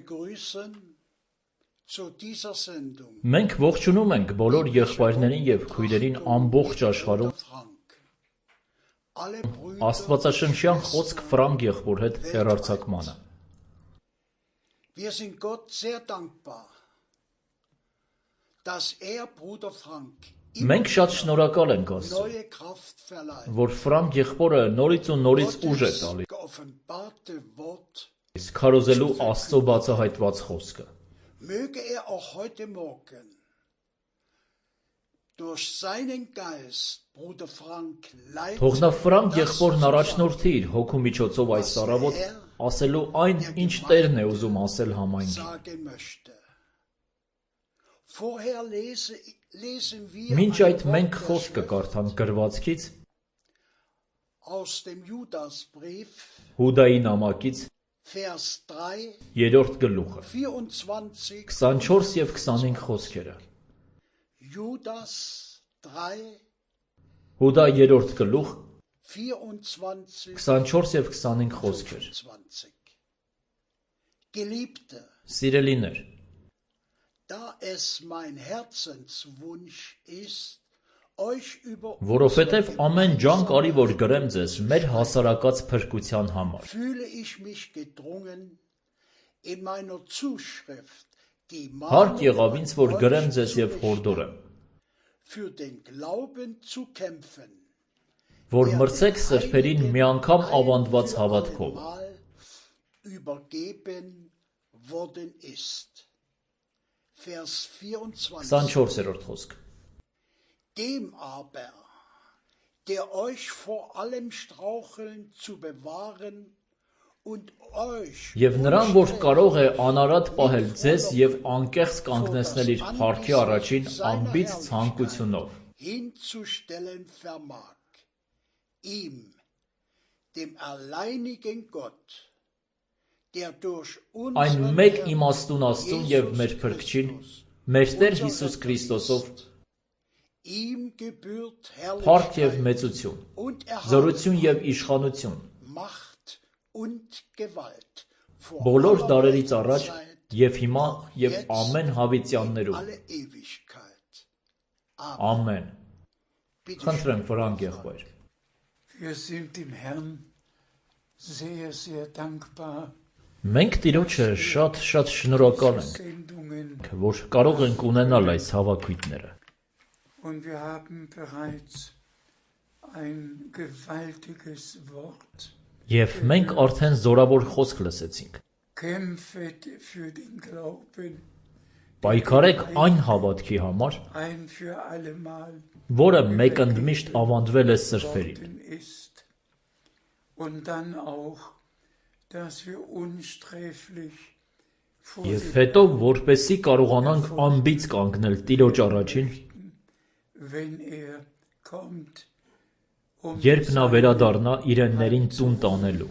begrüßen zu dieser Sendung Մենք ողջունում ենք բոլոր եղբայրներին եւ քույրերին ամբողջ աշխարհում Frank. Alle Brüder Աստվածաշնչյան խոսք Ֆրանկ եղբոր հետ հեռարձակմանը։ Wir sind Gott sehr dankbar, dass Bruder Frank Մենք շատ շնորհակալ ենք Աստծուն, neue Kraft verleiht. որ Ֆրանկ եղբորը նորից ու նորից ուժ է Gottes տալիս geoffenbarte Wort քարոզելու Աստծո բացահայտված խոսքը։ möge auch heute Morgen durch seinen Geist Bruder Frank Թող նա leiten, Ֆրանկ եղբորն առաջնորդի իր հոգու միջոցով այս առավոտ ասելու այն, ինչ Տերն է ուզում ասել համայնքին։ sagen möchte. Vorher lesen wir Մինչ ein այդ Wort մենք der խոսքը կարդանք գրվածքից, aus dem Judasbrief, Հուդայի նամակից, Vers 3, 3-րդ գլուխը, 24, 24 եւ 25 խոսքերը։ Judas 3, Հուդա 3-րդ գլուխ, 24, 24 եւ 25 խոսքեր։ 25. Geliebte, Սիրելիներ, da es mein Herzenswunsch ist, euch über որովհետեւ ամեն ջանք արի որ գրեմ ձեզ մեր հասարակած փրկության համար։ fühle ich mich gedrungen, in meiner Zuschrift die Հարկ Mahnung եղավ ինձ որ an գրեմ euch ձեզ zu եւ հորդորեմ, für den Glauben zu kämpfen, որ մրցեք սրբերին մի անգամ ավանդված հավատքով։ Mal übergeben worden ist. Vers 24. 24-րդ խոսք։ Dem aber, der euch vor allem Straucheln zu bewahren und euch Եվ նրան, որ կարող է անարատ պահել ձեզ եւ անկեղծ կանգնեցնել իր փառքի առաջին անբիծ ցանկությունով։ hinzustellen vermag, ihm, dem alleinigen Gott, der durch Այն unseren մեկ Herrn իմաստուն Աստծուն եւ մեր Jesus Փրկչին, Christus, մեր Տեր Հիսուս Քրիստոսով ihm gebührt փառք եւ Herrlichkeit մեծություն, und զորություն եւ Erhabenheit, իշխանություն Macht und Gewalt vor բոլոր aller դարերից առաջ Zeit, եւ հիմա եւ amեն հավիտյաններում։ alle Ewigkeit. Ամեն։ Bitte Խնդրեմ Ֆրանկ եղբայր։ Wir sind dem Herrn sehr, sehr dankbar. Մենք Տիրոջը շատ շնորհակալ ենք, Sendungen որ կարող ենք ունենալ այս հավաքույթները։ und wir haben bereits ein gewaltiges Wort. Եվ մենք արդեն զորավոր խոսք լսեցինք։ Kämpfet für den Glauben Պայքարեք այն հավատքի համար, ein für allemal որը մեկընդմիշտ ավանդվել է սրբերին։ worden ist. Und dann auch, dass wir unsträflich vor Եվ dem հետո որպեսի կարողանանք անբիծ կանգնել Տիրոջ առաջին, wenn kommt, երբ նա վերադառնա իրեններին տուն տանելու։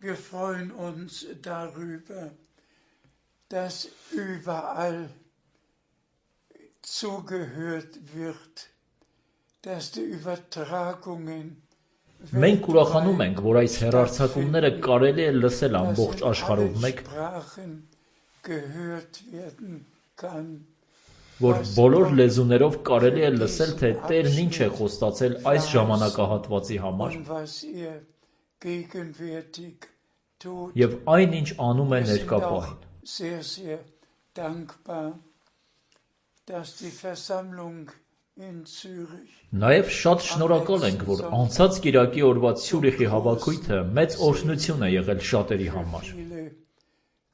Wir freuen uns darüber, dass überall zugehört wird, dass die Übertragungen Մենք ուրախանում ենք, որ այս հեռարձակումները կարելի է լսել dass ամբողջ in աշխարհով allen մեկ, Sprachen gehört werden kann. որ բոլոր լեզուներով կարելի է լսել, թե Տերն ինչ է խոստացել այս ժամանակահատվածի համար Und was gegenwärtig tut. եւ այն ինչ անում է Wir sind ներկա auch պահին։ sehr, sehr dankbar, dass die Versammlung in Zürich Նաև շատ շնորհակալ ենք, որ անցած Կիրակի օրվա Ցյուրիխի հավաքույթը մեծ օրհնություն է եղել շատերի համար։ viele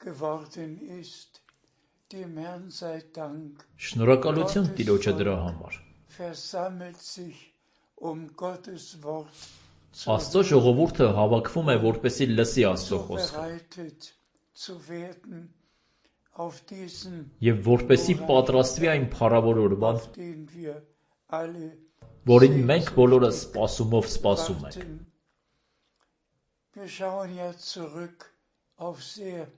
geworden ist. Dem Herrn sei Dank. Շնորհակալություն Տիրոջը դրա համար։ Versammelt sich Gottes Wort zu Աստծո ժողովուրդը հավաքվում է, որպեսզի լսի Աստծո խոսքը vorbereitet zu werden auf diesen, եւ որպեսզի պատրաստվի այն փառավոր օրվան, den wir alle որին մենք բոլորը սպասումով սպասում ենք։ warten. Wir schauen ja zurück auf sehr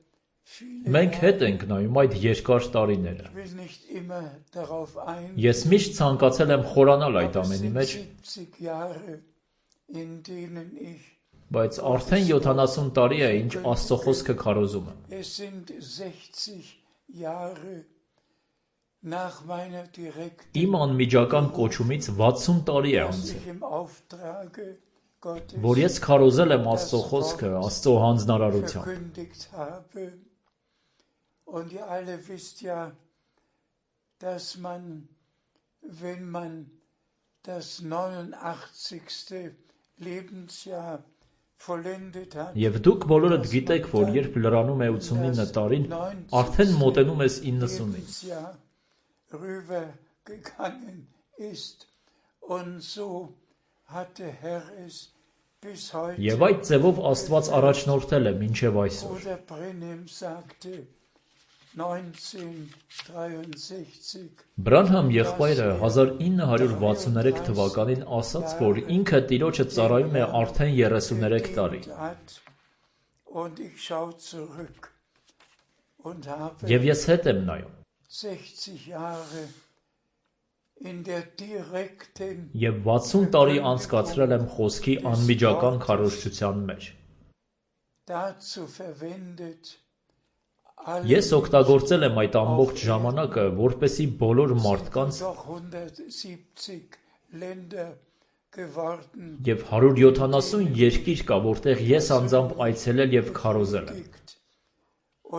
viele Մենք հետ ենք նայում այդ երկար տարիները։ Ich will nicht immer darauf eingehen. Ես միշտ ցանկացել եմ խորանալ այդ aber es ամենի sind մեջ, 70 Jahre, in denen ich Բայց արդեն 70 տարի է, ինչ Աստծո խոսքը քարոզում եմ։ Es sind 60 Jahre nach meiner direkten Իմ անմիջական կոչումից 60 տարի է dass անցել, ich im Auftrage Gottes որ ես քարոզել եմ Աստծո խոսքը, Աստծո հանձնարարությամբ։ verkündigt habe. Und ihr alle wisst ja, dass man, wenn man das 89. Lebensjahr vollendet hat, Եվ դուք բոլորդ գիտեք, որ երբ լրանում է 89 տարին, արդեն մոտենում ես 90-ին։ Lebensjahr rübergegangen ist. Und so hat der Herr es bis heute, Եվ այդ ձևով Աստված առաջնորդել է մինչև այսօր։ Bruder Brenhem sagte, 1963, Բրանհամ եղբայրը 1963 թվականին ասաց, որ ինքը Տիրոջը ծառայում է արդեն 33 տարի։ hat. Und ich schaue zurück und habe Եվ ես հետ եմ նայում։ 60 Jahre in der direkten Եվ 60 տարի անցկացրել եմ խոսքի անմիջական քարոզչության մեջ։ dazu verwendet, Ես օգտագործել եմ այդ ամբողջ ժամանակը, որպեսզի բոլոր մարդկանց doch 170 Länder geworden, եւ 170 երկիր կա, որտեղ ես անձամբ այցելել եւ քարոզել եմ։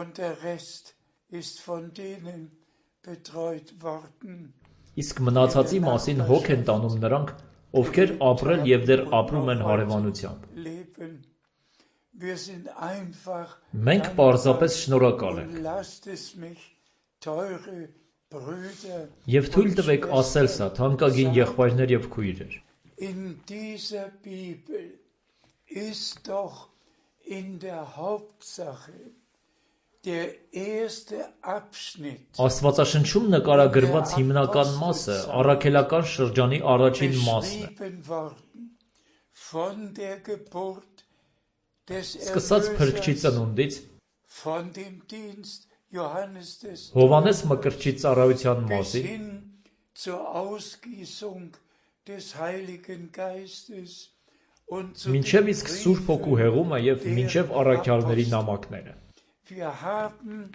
und der Rest ist von denen betreut worden. Իսկ մնացածի մասին հոգ են տանում նրանք, ովքեր ապրել եւ դեռ ապրում են հարևանությամբ։ Leben. Wir sind einfach Մենք պարզապես շնորհակալ ենք։ und lasst es mich, teure Brüder, Եվ թույլ տվեք ասել սա, թանկագին եղբայրներ եւ քույրեր։ in dieser Bibel ist doch in der Hauptsache der erste Abschnitt Աստվածաշնչում նկարագրված հիմնական մասը առաքելական շրջանի առաջին մասն է։ beschrieben worden von der Geburt des Սկսած Փրկչի Erlösers, ծնունդից von dem Dienst Johannes des Հովանես Մկրտչի ծառայության bis մասին hin zur Ausgießung des Heiligen Geistes und zu մինչև den իսկ Սուրբ Հոգու Briefen հեղումը եւ der մինչև առաքյալների Apostel. նամակները։ Wir haben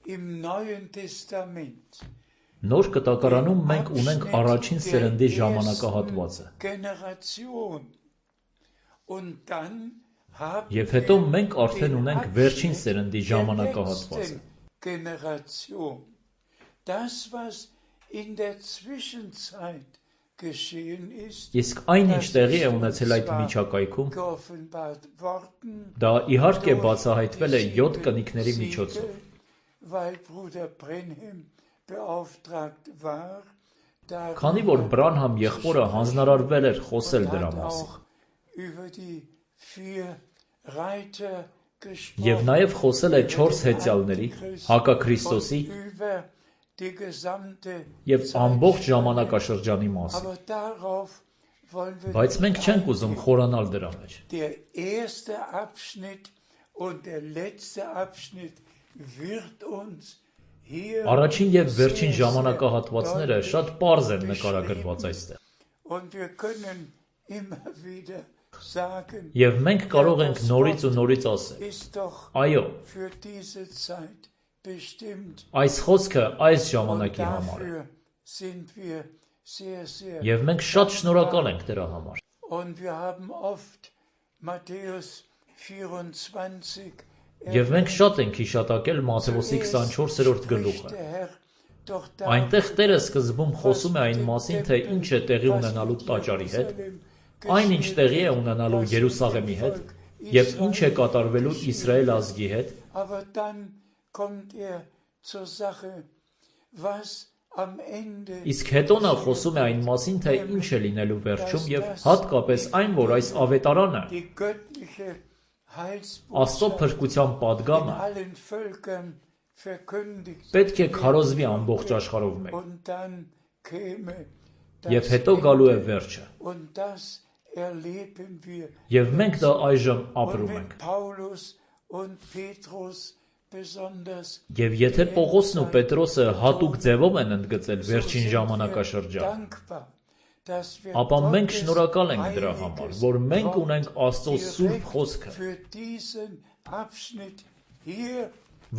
im Neuen Testament Նոր կտակարանում մենք ունենք առաջին սերնդի ժամանակահատվածը։ Generation und dann haben Եվ հետո wir մենք արդեն den ունենք վերջին Abschnitt սերնդի der ժամանակահատվածը։ letzten Generation. Das, was in der Zwischenzeit geschehen ist, Իսկ այն ինչ տեղի է ունեցել այդ միջակայքում, geoffenbart worden, դա իհարկե բացահայտվել է 7 կնիկների միջոցով։ weil Bruder Brenhem beauftragt war, Քանի որ Բրանհամ եղբորը հանձնարարվել էր խոսել դրա hat մասին։ auch über die 4 Reiter gesprochen. Եվ նաև խոսել է 4 հեծյալների, Հակաքրիստոսի Und über die gesamte եւ Zeit ամբողջ gesprochen. ժամանակաշրջանի մասին։ Aber darauf wollen wir Բայց nicht մենք չենք ուզում eingehen. խորանալ դրա մեջ։ Der erste Abschnitt und der letzte Abschnitt wird uns hier Առաջին եւ վերջին sehr, sehr ժամանակահատվածները deutlich շատ պարզ են beschrieben. նկարագրված այստեղ։ Und wir können immer wieder sagen, Եվ մենք կարող ենք նորից ու նորից ասել. ist doch Այո, für diese Zeit bestimmt. այս խոսքը այս Und ժամանակի համար է։ dafür sind wir sehr, sehr Եվ մենք շատ շնորհակալ ենք դրա համար։ Und wir haben oft Matthäus 24 Եվ մենք շատ ենք հիշատակել Մատթեոսի 24-րդ գլուխը։ Այնտեղ Տերը սկզբում խոսում է այն մասին, թե ինչ է տեղի ունենալու տաճարի հետ, այն ինչ տեղի է ունենալու Երուսաղեմի հետ եւ ինչ է կատարվելու Իսրայել ազգի հետ, Aber dann kommt zur Sache, was am Ende իսկ հետո նա խոսում է այն մասին, թե ինչ է լինելու վերջում եւ հատկապես այն, որ այս ավետարանը die göttliche Աստծո Heilsbotschaft փրկության in падգամը allen Völkern verkündigt պետք է քարոզվի ամբողջ աշխարհով մեկ։ und dann käme Եվ das հետո գալու է Ende. վերջը։ Und das erleben wir. Եվ մենք դա այժմ Und ապրում wenn ենք։ Paulus und Petrus besonders Եվ եթե Պողոսն ու Պետրոսը հատուկ ձևով են ընդգծել վերջին ժամանակաշրջանը, dankbar, ապա մենք շնորհակալ ենք դրա համար, որ մենք ունենք Աստծո սուրբ խոսքը,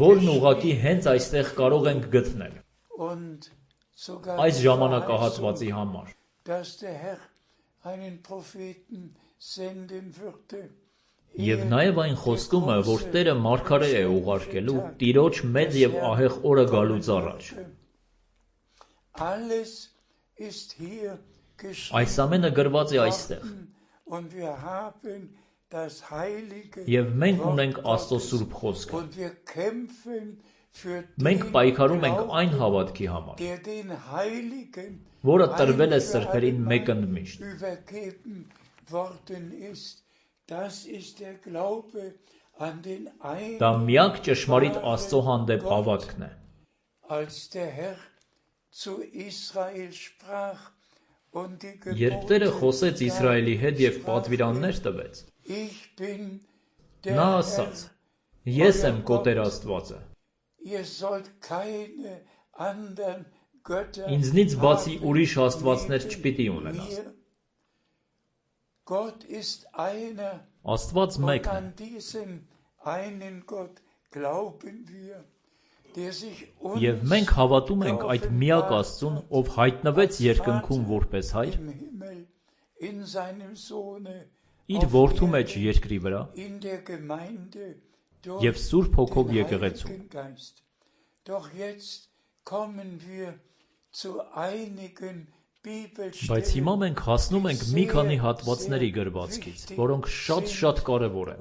որն ուղղակի հենց այստեղ կարող ենք գտնել, այս ժամանակահատվածի համար։ Եվ նաև այն խոստումը, որ Տերը մարգարե է ուղարկելու Տիրոջ մեծ և ահեղ օրը գալուց առաջ։ Այս ամենը գրված է այստեղ։ Եվ մենք ունենք Աստծո սուրբ խոսքը։ Մենք պայքարում ենք այն հավատքի համար, որը տրվել է սրբերին մեկընդմիշտ։ Դա միակ ճշմարիտ Աստծո հանդեպ հավատքն է։ Երբ Տերը խոսեց Իսրայելի հետ և պատվիրաններ տվեց, նա ասաց. «Ես եմ քո Տեր Աստվածը, ինձնից բացի ուրիշ աստվածներ չպիտի ունենաս»։ Աստված մեկն է։ Եվ մենք հավատում ենք այդ միակ Աստծուն, ով հայտնվեց երկնքում որպես Հայր, իր Որդու մեջ երկրի վրա և Սուրբ Հոգով եկեղեցում։ Բայց հիմա մենք հասնում ենք մի քանի հատվածների գրվածքից, որոնք շատ կարևոր են։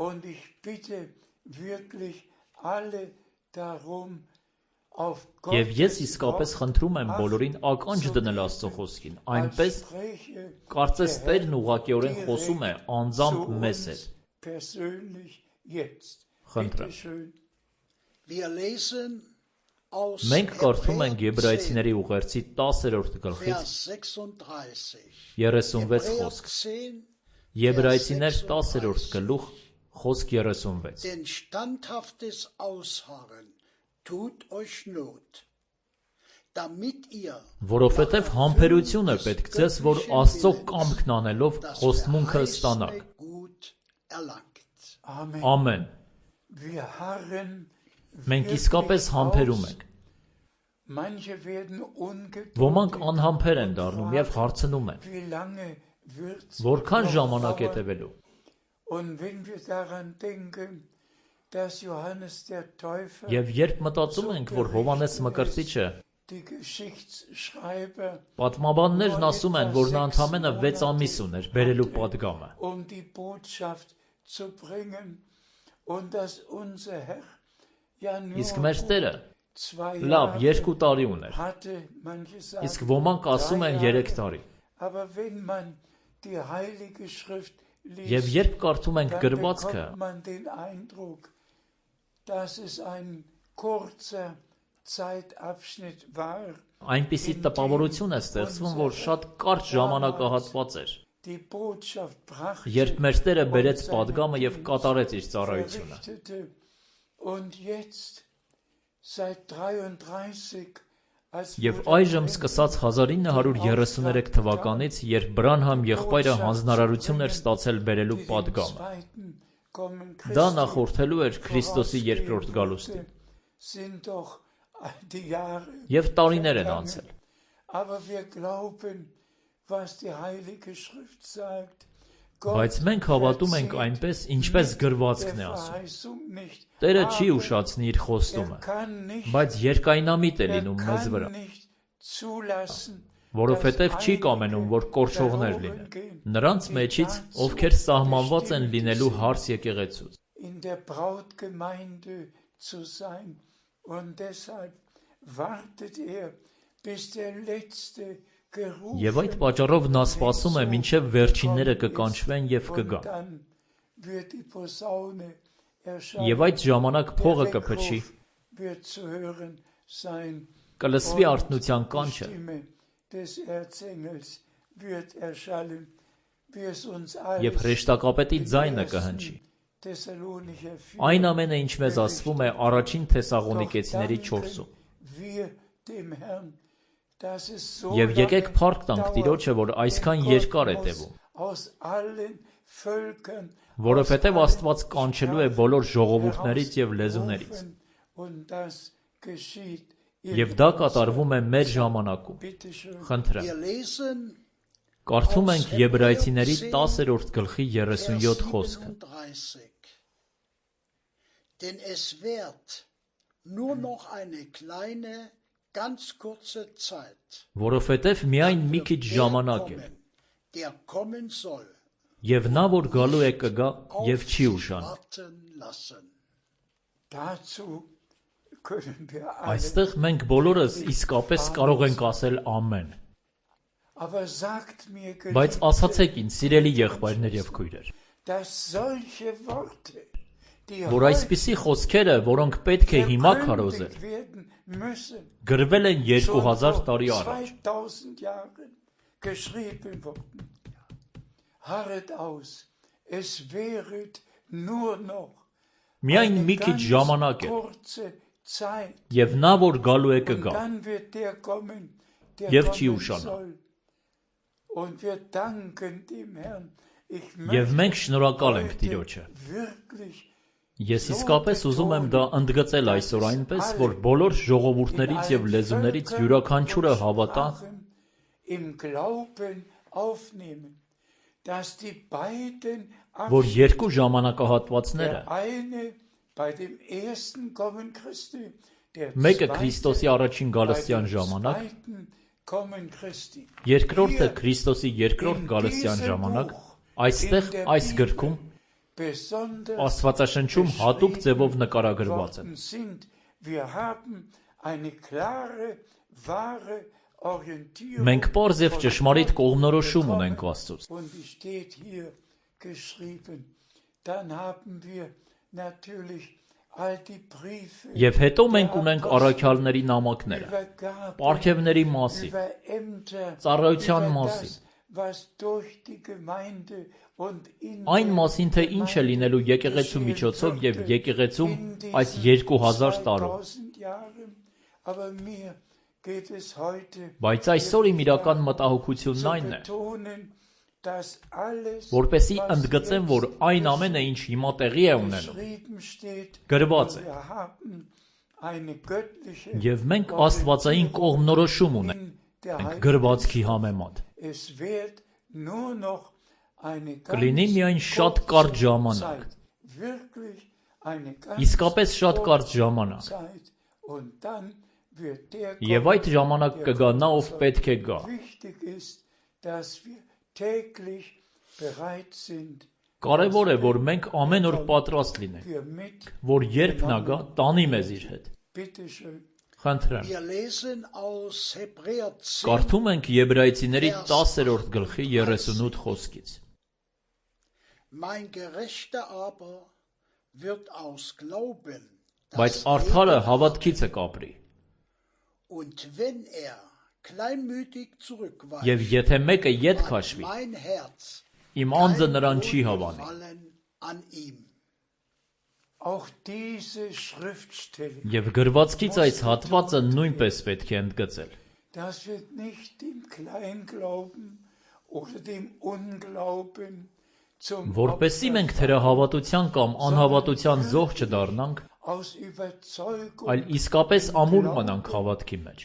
Եվ ես իսկապես խնդրում եմ բոլորին ականջ դնել Աստծո խոսքին, այնպես, կարծես Տերն ուղղակիորեն խոսում է անձամբ մեզ հետ։ Խնդրեմ։ Մենք կարդում ենք Եբրայեցիների ուղերձի 10-րդ գլխից 36 խոսք։ Եբրայեցիներ 10-րդ գլուխ, խոսք 36։ Որովհետև համբերություն է պետք ձեզ, որ Աստծո կամքն անելով խոստմունքը ստանաք։ Ամեն։ Մենք իսկապես համբերում ենք։ Ոմանք անհամբեր են դառնում և հարցնում են. որքան ժամանակ է տևելու։ Եվ երբ մտածում ենք, որ Հովհաննես Մկրտիչը, պատմաբաններն ասում են, որ նա ընդամենը 6 ամիս ուներ բերելու պատգամը։ Իսկ մեր Տերը լավ 2 տարի ուներ, իսկ ոմանք ասում են 3 տարի։ Եվ երբ կարդում ենք գրվածքը, այնպիսի տպավորություն է ստեղծվում, որ շատ կարճ ժամանակահատված էր, երբ մեր Տերը բերեց պատգամը և կատարեց իր ծառայությունը։ Եվ այժմ սկսած 1933 թվականից, երբ Բրանհամ եղբայրը հանձնարարություն էր ստացել բերելու պատգամը, դա նախորդելու էր Քրիստոսի երկրորդ գալուստին։ Եվ տարիներ են անցել։ Բայց մենք հավատում ենք այնպես, ինչպես գրվածքն է ասում։ Տերը չի ուշացնի իր խոստումը, բայց երկայնամիտ է լինում մեզ վրա, որովհետև չի կամենում, որ կորչողներ լինեն, նրանց մեջից, ովքեր սահմանված են լինելու հարս եկեղեցուց։ Եվ այդ պատճառով նա սպասում է, մինչև վերջինները կկանչվեն և կգան։ Եվ այդ ժամանակ փողը կփչի, կլսվի արթնության կանչը, և հրեշտակապետի ձայնը կհնչի։ Այն ամենը, ինչ մեզ ասվում է առաջին Թեսաղոնիկեցիների 4-ում։ Եվ եկեք փառք տանք Տիրոջը, որ այսքան երկար է տևում, որովհետև Աստված կանչելու է բոլոր ժողովուրդներից եւ լեզուներից։ Եվ դա կատարվում է մեր ժամանակում։ Խնդրեմ։ Կարդում ենք Եբրայեցիների 10-րդ գլխի 37 խոսքը։ Denn es wird nur noch eine kleine, ganz kurze Zeit. Որովհետև միայն մի քիչ ժամանակ է։ Der kommen soll. Եվ նա, որ գալու է, կգա եւ չի ուշանա։ Այստեղ մենք բոլորս իսկապես կարող ենք ասել ամեն։ Բայց ասացեք ինձ, սիրելի եղբայրներ եւ քույրեր, որ այսպիսի խոսքերը, որոնք պետք է հիմա քարոզել, գրվել են 2000 տարի առաջ։ Միայն մի քիչ ժամանակ է, եւ նա, որ գալու է, կգա, եւ չի ուշանա։ Եվ մենք շնորհակալ ենք Տիրոջը։ Ես իսկապես ուզում եմ դա ընդգծել այսօր այնպես, որ բոլոր ժողովուրդներից եւ լեզուներից յուրաքանչյուրը հավատա, որ երկու ժամանակահատվածները, մեկը Քրիստոսի առաջին գալստյան ժամանակ, երկրորդը Քրիստոսի երկրորդ գալստյան ժամանակ, այստեղ այս գրքում Աստվածաշնչում հատուկ ձևով նկարագրված են։ Մենք պարզ եւ ճշմարիտ կողմնորոշում ունենք Աստծուց։ Եվ հետո մենք ունենք առաքյալների նամակները, պարգևների մասին, ծառայության մասին, այն մասին, թե ինչ է լինելու եկեղեցու միջոցով եւ եկեղեցում այս 2000 տարում։ Բայց այսօր իմ իրական մտահոգությունն այն է, որպեսզի ընդգծեմ, որ այն ամենը, ինչ հիմա տեղի է ունենում, գրված է։ Եվ մենք աստվածային կողմնորոշում ունենք գրվածքի համեմատ։ Կլինի միայն շատ կարճ ժամանակ, իսկապես շատ կարճ ժամանակ, եւ այդ ժամանակ կգա նա, ով պետք է գա։ Կարևոր է, որ մենք ամեն օր պատրաստ լինենք, որ երբ նա գա, տանի մեզ իր հետ։ Խնդրեմ։ Կարդում ենք Եբրայեցիների 10-րդ գլխի 38 խոսքից։ Բայց արդարը հավատքից է կապրի։ Եվ եթե մեկը ետ քաշվի, իմ անձը նրան չի հավանի։ Եվ գրվածքից այս հատվածը նույնպես պետք է ընդգծել։ Որպեսզի մենք թերահավատության կամ անհավատության զոհ չդառնանք, այլ իսկապես ամուր մնանք հավատքի մեջ։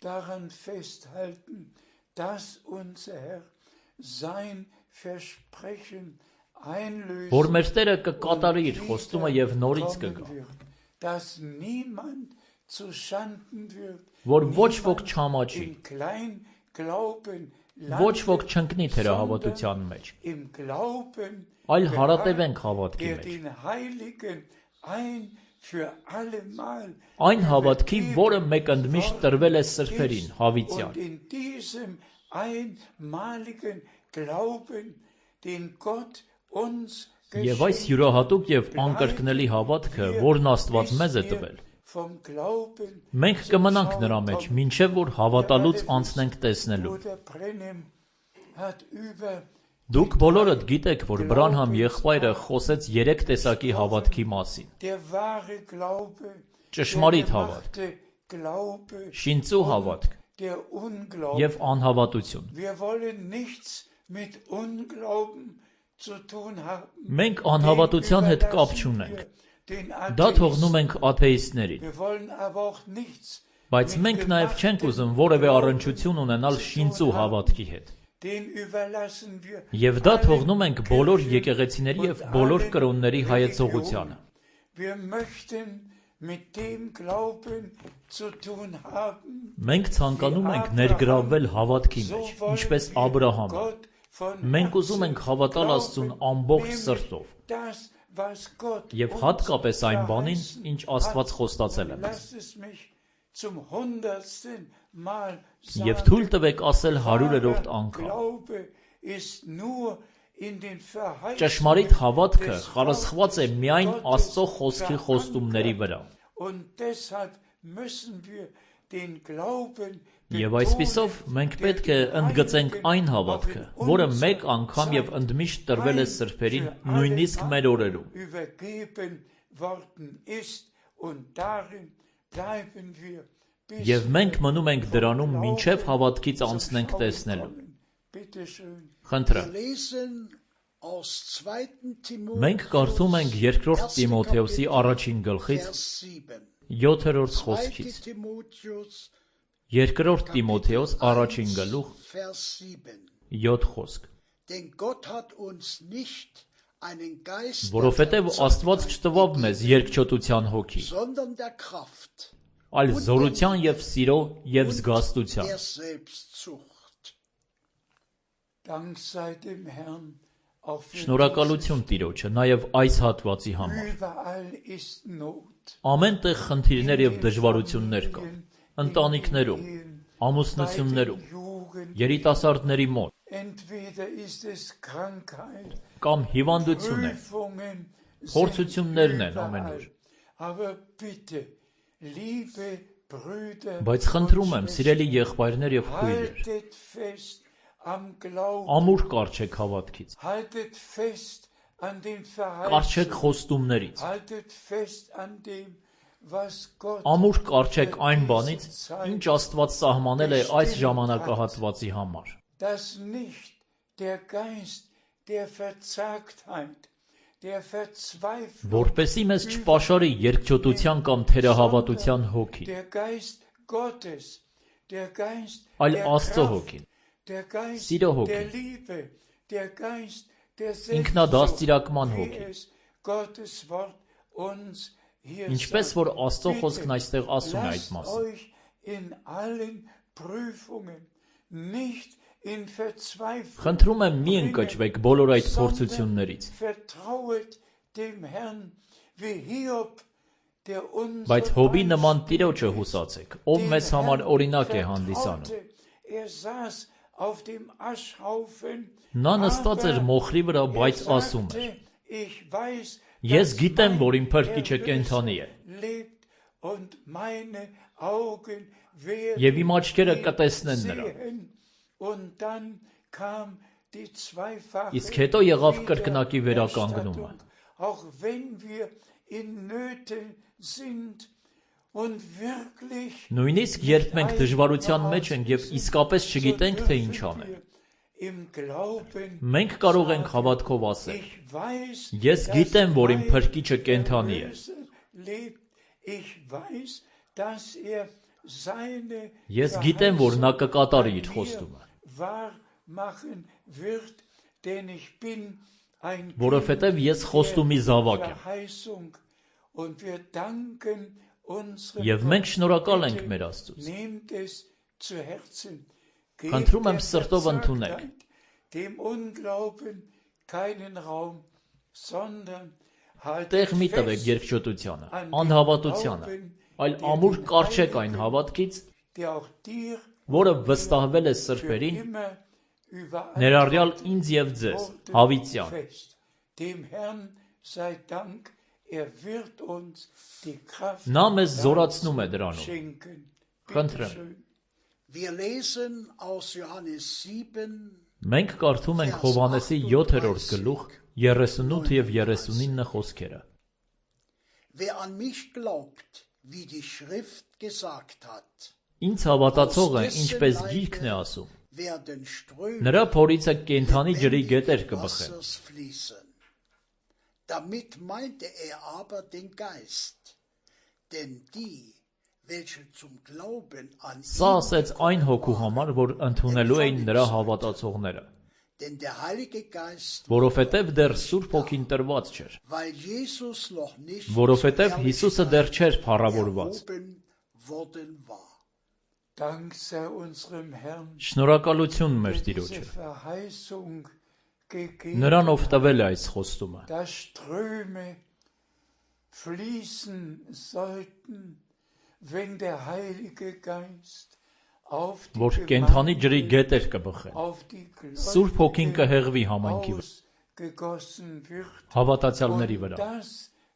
Որ մեր Տերը կկատարի իր խոստումը եւ նորից կգա։ Որ ոչ ոք չամաչի, ոչ ոք չընկնի թերահավատության մեջ, այլ հարատևենք հավատքի մեջ։ Այն հավատքի, որը մեկընդմիշտ տրվել է սրբերին, հավիտյան։ Եվ այս յուրահատուկ եւ անկրկնելի հավատքը, որն Աստված մեզ է տվել, մենք կմնանք նրա մեջ, մինչև որ հավատալուց անցնենք տեսնելու։ Դուք բոլորդ գիտեք, որ Բրանհամ եղբայրը խոսեց 3 տեսակի հավատքի մասին. ճշմարիտ հավատք, շինծու հավատք der Unglaube. եւ անհավատություն։ Wir wollen nichts mit Unglauben zu tun haben. Մենք անհավատության հետ կապ չունենք։ Դա թողնում ենք աթեիստներին։ Wir wollen aber auch nichts Բայց մենք նաև չենք ուզում որևէ առնչություն ունենալ շինծու հավատքի հետ։ Den überlassen wir Եվ դա թողնում ենք բոլոր եկեղեցիների եւ բոլոր կրոնների հայեցողությանը։ Wir möchten mit dem Glauben zu tun haben. Մենք ցանկանում ենք ներգրավվել հավատքի մեջ, ինչպես Աբրահամը։ Մենք ուզում ենք հավատալ Աստծուն ամբողջ սրտով եւ հատկապես այն բանին, ինչ Աստված խոստացել է մեզ։ Եվ թույլ տվեք ասել 100-րդ անգամ. Ճշմարիտ հավատքը խարսխված է միայն Աստծո խոսքի խոստումների վրա։ Եվ այսպիսով մենք պետք է ընդգծենք այն հավատքը, որը մեկ անգամ եւ ընդմիշտ տրվել է սրբերին, նույնիսկ մեր օրերում։ Եվ մենք մնում ենք դրանում, մինչև հավատքից անցնենք տեսնելու։ Խնդրեմ։ Մենք կարդում ենք 2 Տիմոթեոսի առաջին գլխից 7-րդ խոսքից։ 2 Տիմոթեոս առաջին գլուխ 7 խոսք։ Որովհետև Աստված չտվավ մեզ երկչոտության հոգի, այլ զորության եւ սիրո եւ զգաստության։ Շնորհակալություն Տիրոջը նաև այս հատվածի համար։ Ամեն տեղ խնդիրներ եւ դժվարություններ կան, ընտանիքներում, ամուսնություններում, երիտասարդների մոտ, կամ հիվանդություն է, փորձություններն են ամենուր։ Բայց խնդրում եմ, սիրելի եղբայրներ եւ քույրեր, ամուր կառչեք հավատքից, կառչեք խոստումներից, ամուր կառչեք այն բանից, ինչ Աստված սահմանել է այս ժամանակահատվածի համար։ Որպեսզի մեզ չպաշարի երկչոտության կամ թերահավատության հոգի, այլ Աստծո հոգին, սիրո հոգին, ինքնադաստիարակման հոգին, ինչպես որ Աստծո խոսքն այստեղ ասում է այդ մասին։ Խնդրում եմ, մի ընկճվեք բոլոր այդ փորձություններից, բայց Հոբի նման Տիրոջը հուսացեք, ով մեզ համար օրինակ է հանդիսանում։ Նա նստած էր մոխրի վրա, բայց ասում էր. Ես գիտեմ, որ իմ փրկիչը կենդանի է, եւ իմ աչքերը կտեսնեն նրան։ Իսկ հետո եղավ կրկնակի վերականգնումը։ Նույնիսկ երբ մենք դժվարության մեջ ենք եւ իսկապես չգիտենք, թե ինչ անել, մենք կարող ենք հավատքով ասել. Ես գիտեմ, որ իմ փրկիչը կենդանի է։ Ես գիտեմ, որ նա կկատարի իր խոստումը, որովհետև ես խոստումի զավակ եմ։ Եվ մենք շնորհակալ ենք մեր Աստծուց։ Խնդրում եմ սրտով ընդունեք։ Տեղ մի տվեք երկչոտությանը, անհավատությանը, այլ ամուր կառչեք այն հավատքից, որը վստահվել է սրբերին, ներառյալ ինձ եւ ձեզ, հավիտյան։ Նա մեզ զորացնում է դրանով։ Խնդրեմ։ Մենք կարդում ենք Հովհաննեսի 7-րդ գլուխ 38 եւ 39 խոսքերը։ Ինձ հավատացողը ինչպես գիրքն է ասում, werden նրա Ströme փորիցը կենդանի ջրի գետեր կբխեն։ Wassers fließen. Damit meinte aber den Geist, denn die, welche zum Glauben an Սա ihn ասեց այն հոգու համար, որ ընդունելու էին նրա հավատացողները, denn der Heilige Geist, որովհետև դեռ Սուրբ Հոգին տրված չէր, weil Jesus noch nicht որովհետև Հիսուսը դեռ չէր փառավորված։ erhoben worden war. Dank sei unserem Herrn, Շնորհակալություն մեր diese Տիրոջը։ Verheißung gegeben, Նրանով տվել է այս խոստումը, dass Ströme fließen sollten, wenn der Heilige Geist auf die որ կենդանի ջրի Gemeinde, գետեր կբխեն։ auf die Սուրբ Հոգին կհեղվի համայնքի վրա, ausgegossen wird. հավատացյալների Und վրա։ das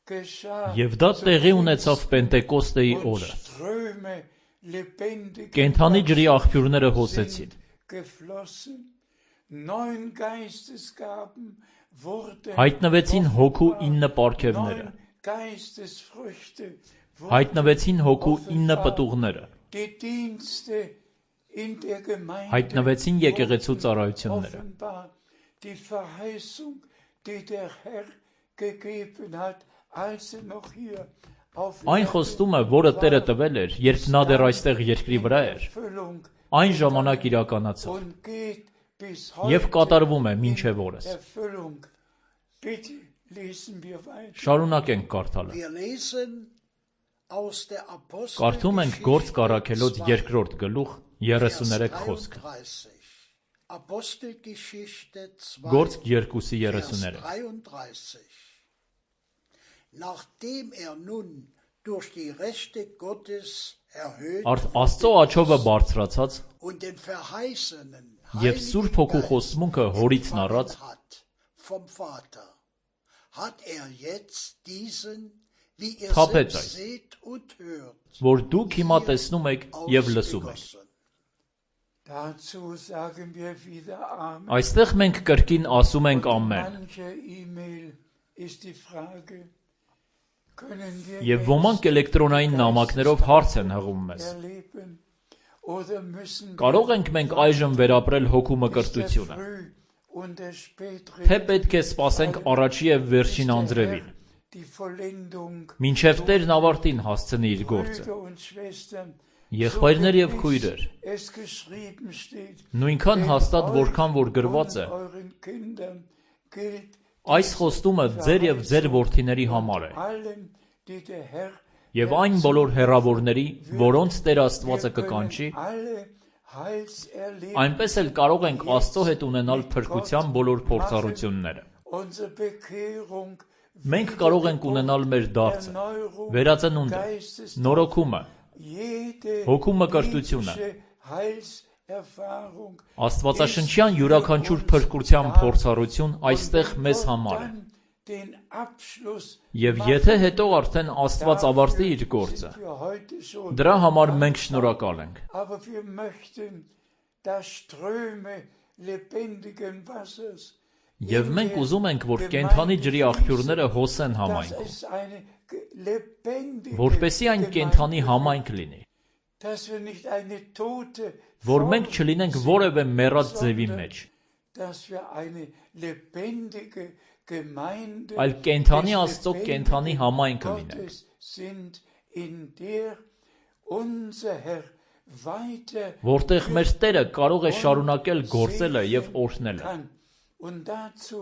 geschah Եվ դա տեղի ունեցավ Պենտեկոստեի und օրը։ Ströme lebendigen Կենդանի ջրի Wassers աղբյուրները հոսեցին։ sind geflossen. 9 Geistesgaben wurden Հայտնվեցին հոգու offenbar. 9 պարգևները։ 9 Geistesfrüchte wurden Հայտնվեցին հոգու 9 offenbar. պտուղները։ Die Dienste in der Gemeinde Հայտնվեցին եկեղեցու wurden ծառայությունները։ offenbar. Die Verheißung, die der Herr gegeben hat, als er noch hier auf Այն Erden խոստումը, որը Տերը war, տվել էր, երբ նա դեռ այստեղ երկրի վրա էր, Erfüllung այն ժամանակ իրականացավ und geht bis եւ heute կատարվում է in մինչեւ օրս։ Erfüllung. Bitte lesen wir weiter. Շարունակենք կարդալը։ Wir lesen aus der Կարդում ենք Գործ կառաքելոց 2-րդ գլուխ 33 խոսքը։ 33. Apostelgeschichte 2, Գործ 2-ի Vers 33։ 33. Nachdem nun durch die Rechte Gottes erhöht Աստծո աչովը բարձրացած und den verheißenen եւ Սուրբ Հոգու խոստմունքը հորիցն առած, hat vom Vater, hat jetzt diesen, wie ihr Թափեց selbst այս, seht und hört, որ դուք հիմա տեսնում եք եւ լսում եք։ ausgegossen. Dazu sagen wir wieder Amen. Այստեղ մենք կրկին ասում ենք ամեն։ Manche E-Mail ist die Frage, können wir Եվ ոմանք էլեկտրոնային նամակներով հարց են հղում մեզ։ erleben oder müssen Կարող ենք մենք այժմ վերապրել հոգու wir մկրտությունը, früh und der թե պետք է սպասենք առաջի եւ վերջին անձրևին, die Vollendung, մինչեւ Տերն ավարտին հասցնի իր գործը։ Brüder und Schwestern, Եղբայրներ եւ քույրեր, es geschrieben steht, նույնքան հաստատ որքան որ գրված է, euren Kindern gilt այս խոստումը ձեր եւ ձեր որդիների համար է, allen, die der Herr եւ այն բոլոր հերավորների, որոնց Տեր Աստվածը wir կկանչի, können alle Heilserlebnisse, այնպես էլ կարող ենք Աստծո հետ ունենալ փրկության բոլոր փորձառությունները։ unsere Bekehrung, Մենք կարող ենք ունենալ մեր դարձը, Erneuerung, վերածնունդը, նորոգումը, jede հոգու մկրտությունը, biblische Heilserfahrung Աստվածաշնչյան յուրաքանչյուր փրկության փորձառություն այստեղ մեզ համար է։ dann den Abschluss Եվ եթե հետո արդեն Աստված ավարտի իր գործը, für heute schon. դրա համար մենք շնորհակալ ենք։ Aber wir möchten, dass Ströme lebendigen Wassers, Եվ մենք ուզում ենք, որ կենդանի ջրի աղբյուրները հոսեն dass համայնքում, es eine lebendige որպեսզի այն կենդանի համայնք լինի, dass wir nicht eine tote որ մենք չլինենք որևէ մեռած ձևի մեջ, dass wir eine lebendige Gemeinde այլ կենդանի des Աստծո lebendigen կենդանի համայնքը լինենք, Gottes sind, in der unser Herr weiter որտեղ մեր Տերը կարող է շարունակել գործելը եւ օրհնելը։ kann. Und dazu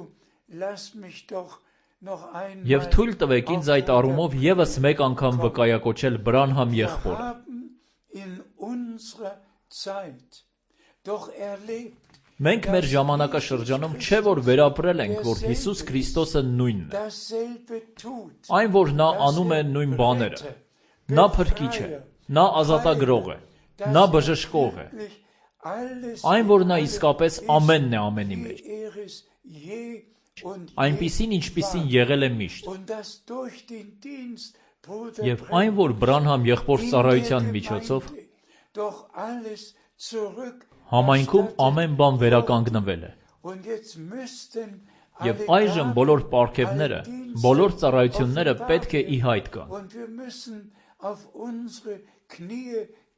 lass mich doch noch Եվ einmal թույլ տվեք ինձ այդ առումով եւս մեկ անգամ վկայակոչել Բրանհամ եղբորը։ haben in unserer Zeit doch erlebt, Մենք մեր ժամանակաշրջանում չէ որ վերապրել ենք, որ Հիսուս Քրիստոսը նույնն է։ dasselbe tut. Այն որ նա անում է նույն բաները։ Նա փրկիչ է, նա ազատագրող է, նա բժշկող է։ Այն որ նա իսկապես ամենն է ամենի մեջ։ Այնպիսին ինչպիսին եղել է միշտ։ Եվ այն որ Բրանհամ եղբոր ծառայության միջոցով համայնքում ամեն բան վերականգնվել է։ Եվ այժմ բոլոր պարգևները, բոլոր ծառայությունները պետք է ի հայտ գան։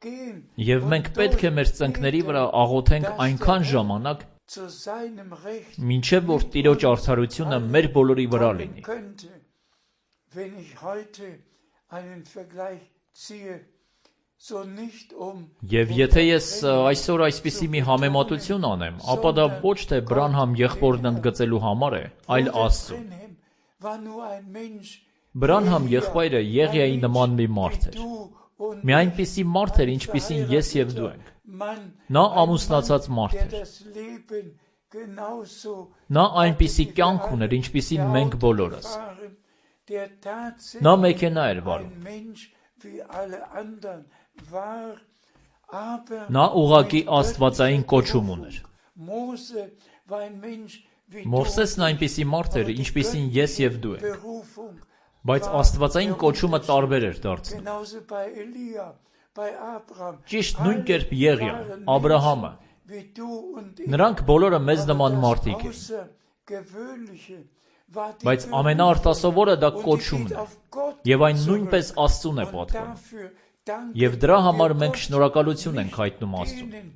gehen Եվ մենք պետք է մեր ծնկների վրա աղոթենք այնքան ժամանակ, zu seinem Recht մինչև որ Տիրոջ արդարությունը մեր բոլորի վրա լինի։ könnte. Wenn ich heute einen Vergleich ziehe, so nicht Եվ եթե ես այսօր այսպիսի մի համեմատություն անեմ, ապա դա ոչ թե Բրանհամ եղբորն ընդգծելու համար է, այլ Աստծուն։ Բրանհամ եղբայրը Եղիայի նման մի մարդ էր։ Մի այնպիսի մարդ էր, ինչպիսին ես եւ դու ենք։ Նա ամուսնացած մարդ էր։ Նա այնպիսի կյանք ուներ, ինչպիսին մենք բոլորս։ Նա մեքենա էր վարում։ Նա ուղղակի աստվածային կոչում ուներ։ Մովսեսն այնպիսի մարդ էր, ինչպիսին ես եւ դու ենք։ Բայց աստվածային կոչումը տարբեր էր դարձնում։ Ճիշտ նույն կերպ Եղիան, Աբրահամը, նրանք բոլորը մեզ նման մարդիկ էին։ Բայց ամենաարտասովորը դա կոչումն է, եւ այն նույնպես Աստծուն է պատկանում։ Եվ դրա համար մենք շնորհակալություն ենք հայտնում Աստծուն։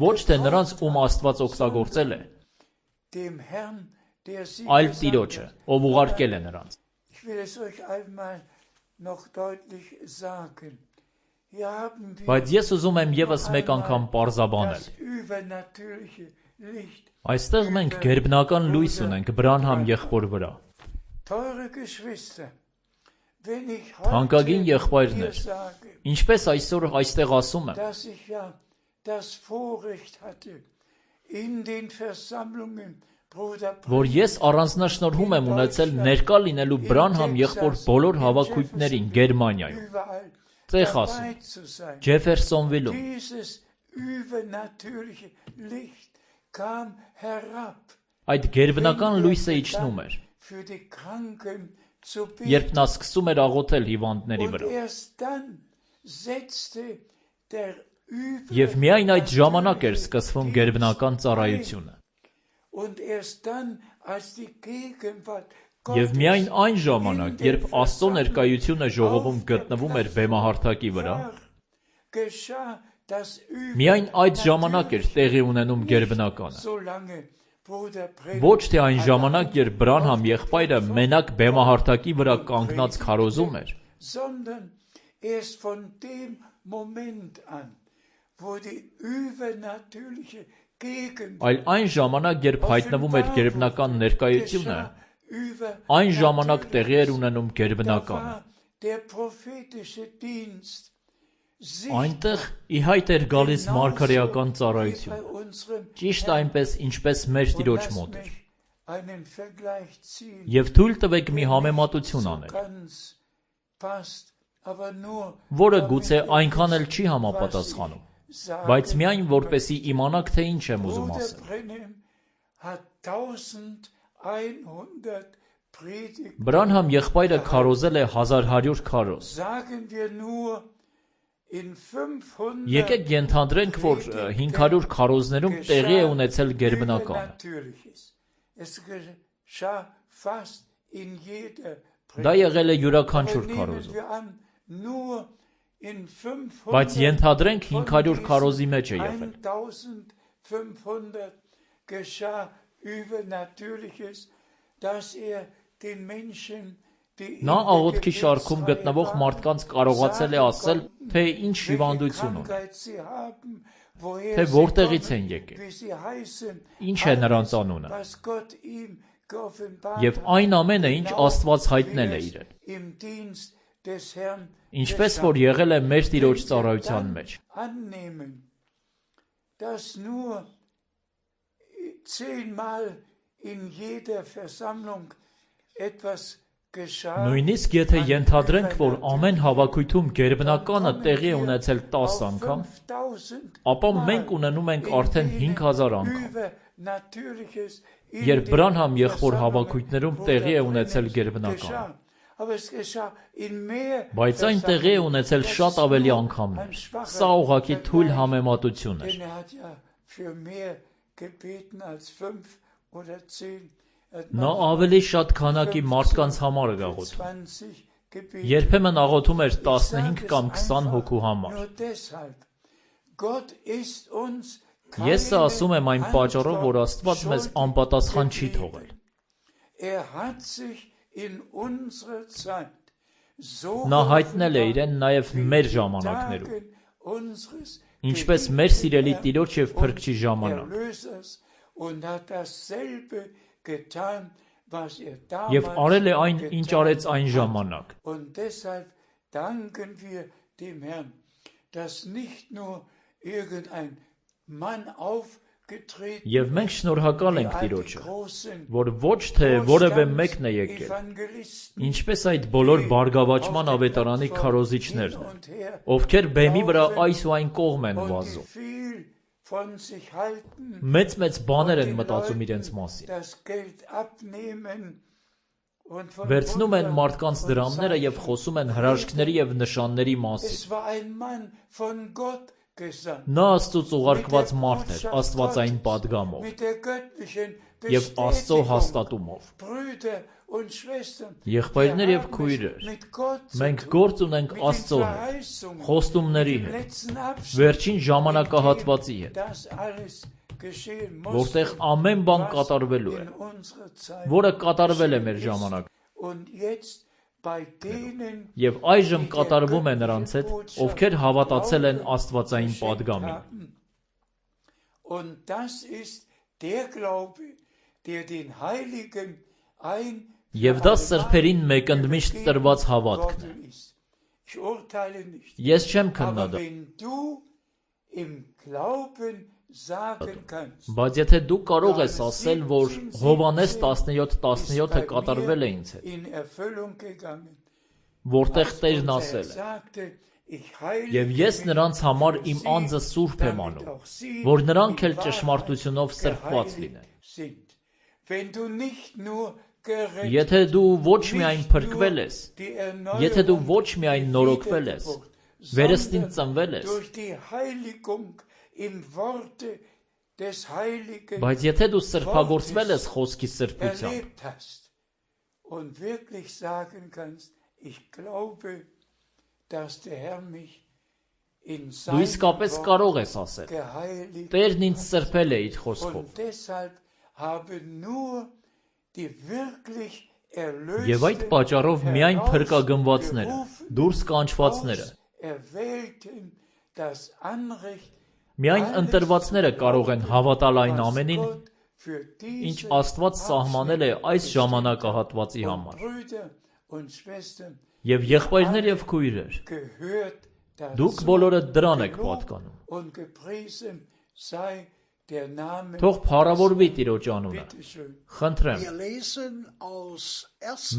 Ոչ թե նրանց, ում Աստված օգտագործել է, այլ Տիրոջը, ով ուղարկել է նրանց։ Բայց ես ուզում եմ եւս մեկ անգամ պարզաբանել։ Այստեղ մենք գերբնական լույս ունենք Բրանհամ եղբոր վրա։ Թանկագին եղբայրներ, ինչպես այսօր այստեղ ասում եմ, որ ես առանձնաշնորհում եմ ունեցել ներկա լինելու Բրանհամ եղբոր բոլոր հավաքույթներին Գերմանիայում, Տեխասում, Ջեֆերսոնվիլում։ Այդ գերբնական լույսը իջնում էր, երբ նա սկսում էր աղոթել հիվանդների վրա։ Եվ միայն այդ ժամանակ էր սկսվում գերբնական ծառայությունը։ Եվ միայն այն ժամանակ, երբ Աստծո ներկայությունը ժողովում գտնվում էր բեմահարթակի վրա, միայն այդ ժամանակ էր տեղի ունենում գերբնականը։ Ոչ թե այն ժամանակ, երբ Բրանհամ եղբայրը մենակ բեմահարթակի վրա կանգնած քարոզում էր, այլ այն ժամանակ, երբ հայտնվում էր գերբնական ներկայությունը, այն ժամանակ տեղի էր ունենում գերբնականը։ Այնտեղ ի հայտ էր գալիս մարգարեական ծառայությունը, ճիշտ այնպես, ինչպես մեր Տիրոջ մոտ էր։ Եվ թույլ տվեք մի համեմատություն անել, որը գուցե այնքան էլ չի համապատասխանում, բայց միայն որպեսի իմանաք, թե ինչ եմ ուզում ասել։ Բրանհամ եղբայրը քարոզել է 1100 քարոզ։ Եկեք ենթադրենք, որ 500 քարոզներում տեղի է ունեցել գերբնականը։ Դա եղել է յուրաքանչյուր քարոզում։ Բայց ենթադրենք 500 քարոզի մեջ է եղել։ Նա աղոթքի շարքում գտնվող մարդկանց կարողացել է ասել, թե ինչ հիվանդություն ունի, թե որտեղից են եկել, ինչ է նրանց անունը, եւ այն ամենը, ինչ Աստված հայտնել է իրեն, ինչպես որ եղել է մեր Տիրոջ ծառայության մեջ։ Նույնիսկ եթե ենթադրենք, որ ամեն հավաքույթում գերբնականը տեղի է ունեցել 10 անգամ, ապա մենք ունենում ենք արդեն 5000 անգամ, երբ Բրանհամ եղբոր հավաքույթներում տեղի է ունեցել գերբնականը։ Բայց այն տեղի է ունեցել շատ ավելի անգամներ։ Սա ուղղակի թույլ համեմատություն էր։ Նա ավելի շատ քանակի մարդկանց համար էր աղոթում, gebetet. Երբեմն աղոթում էր 15 կամ 20 hոգու համար։ Nur deshalb. Gott ist uns Ես սա ասում եմ այն պատճառով, որ Աստված մեզ անպատասխան չի թողել։ hat sich in unserer Zeit so Նա հայտնել է իրեն նաև մեր ժամանակներում, ինչպես մեր սիրելի Տիրոջ և Փրկչի ժամանակ։ und hat dasselbe getan, was Եվ արել է այն, ինչ արեց այն ժամանակ։ Und deshalb danken wir dem Herrn, dass nicht nur irgendein Mann aufgetreten Եվ մենք շնորհակալ ենք Տիրոջը, որ ոչ թե որևէ մեկն է եկել, ինչպես այդ բոլոր բարգավաճման ավետարանի քարոզիչներն են, ովքեր բեմի վրա այս ու այն կողմ են վազում։ Մեծ բաներ են մտածում իրենց մասին։ Վերցնում են մարդկանց դրամները և խոսում են հրաշքների և նշանների մասին։ Նա Աստծուց ուղարկված մարդ էր, աստվածային պատգամով և Աստծո հաստատումով։ Եղբայրներ և քույրեր, մենք գործ ունենք Աստծո հետ, խոստումների հետ, վերջին ժամանակահատվածի հետ, որտեղ ամեն բան կատարվելու է, որը կատարվել է մեր ժամանակ։ Եվ այժմ կատարվում է նրանց հետ, ովքեր հավատացել են աստվածային պատգամին։ Եվ դա սրբերին մեկընդմիշտ տրված հավատքն է։ Ես չեմ քննադատում։ Բայց եթե դու կարող ես ասել, որ Հովհաննես 17:17-ը կատարվել է ինձ հետ, որտեղ Տերն ասել է. «Եվ ես նրանց համար իմ անձը սուրբ եմ անում, որ նրանք էլ ճշմարտությունով սրբված լինեն»։ Եթե դու ոչ միայն փրկվել ես, եթե դու ոչ միայն նորոգվել ես, վերստին ծնվել ես, բայց եթե դու սրբագործվել ես խոսքի սրբությամբ, դու իսկապես կարող ես ասել. Տերն ինձ սրբել է իր խոսքով։ Եվ այդ պատճառով միայն փրկագնվածները, դուրս կանչվածները, միայն ընտրվածները կարող են հավատալ այն ամենին, ինչ Աստված սահմանել է այս ժամանակահատվածի համար։ Եվ եղբայրներ և քույրեր, դուք բոլորը դրան եք պատկանում։ Թող փառավորվի Տիրոջ անունը։ Խնդրեմ։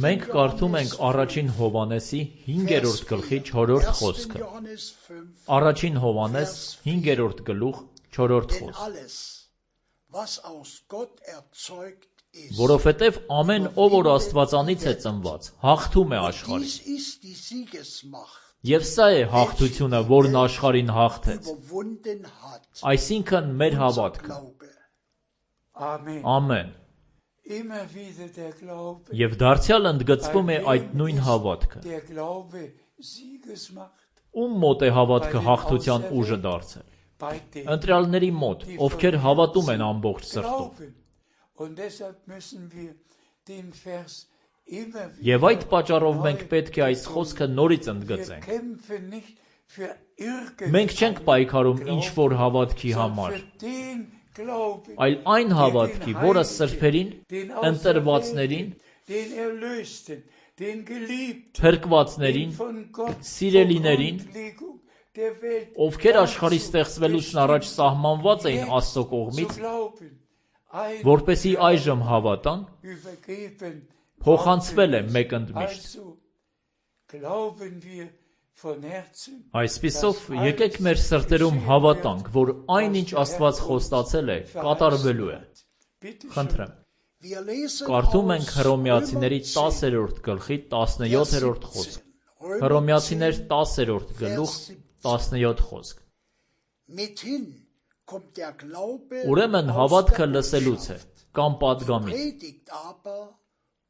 Մենք կարդում ենք առաջին Հովհաննեսի 5-րդ գլխի 4-րդ խոսքը։ Առաջին Հովհաննես 5-րդ գլուխ 4-րդ խոսք։ Որովհետև ամեն ով որ Աստվածանից է ծնված, հաղթում է աշխարհին։ Եվ սա է հաղթությունը, որն աշխարհին հաղթեց, այսինքն մեր հավատքը։ Ամեն։ Եվ դարձյալ ընդգծվում է այդ նույն հավատքը։ Ում մոտ է հավատքը հաղթության ուժը դարձել։ Ընտրյալների մոտ, ովքեր հավատում են ամբողջ սրտով։ Եվ այդ պատճառով մենք պետք է այս խոսքը նորից ընդգծենք։ Մենք չենք պայքարում ինչ-որ հավատքի համար, այլ այն հավատքի, որը սրբերին, ընտրվածներին, փրկվածներին, սիրելիներին, ովքեր աշխարհի ստեղծվելուց առաջ սահմանված էին Աստծո կողմից, որպեսզի այժմ հավատան, փոխանցվել է մեկընդմիշտ։ Այսպիսով, եկեք մեր սրտերում հավատանք, որ այն, ինչ Աստված խոստացել է, կատարվելու է։ Խնդրեմ։ Կարդում ենք Հռոմեացիների 10-րդ գլխի 17-րդ խոսք։ Հռոմեացիներ 10-րդ գլուխ 17 խոսք։ Ուրեմն հավատքը լսելուց է, կամ պատգամից,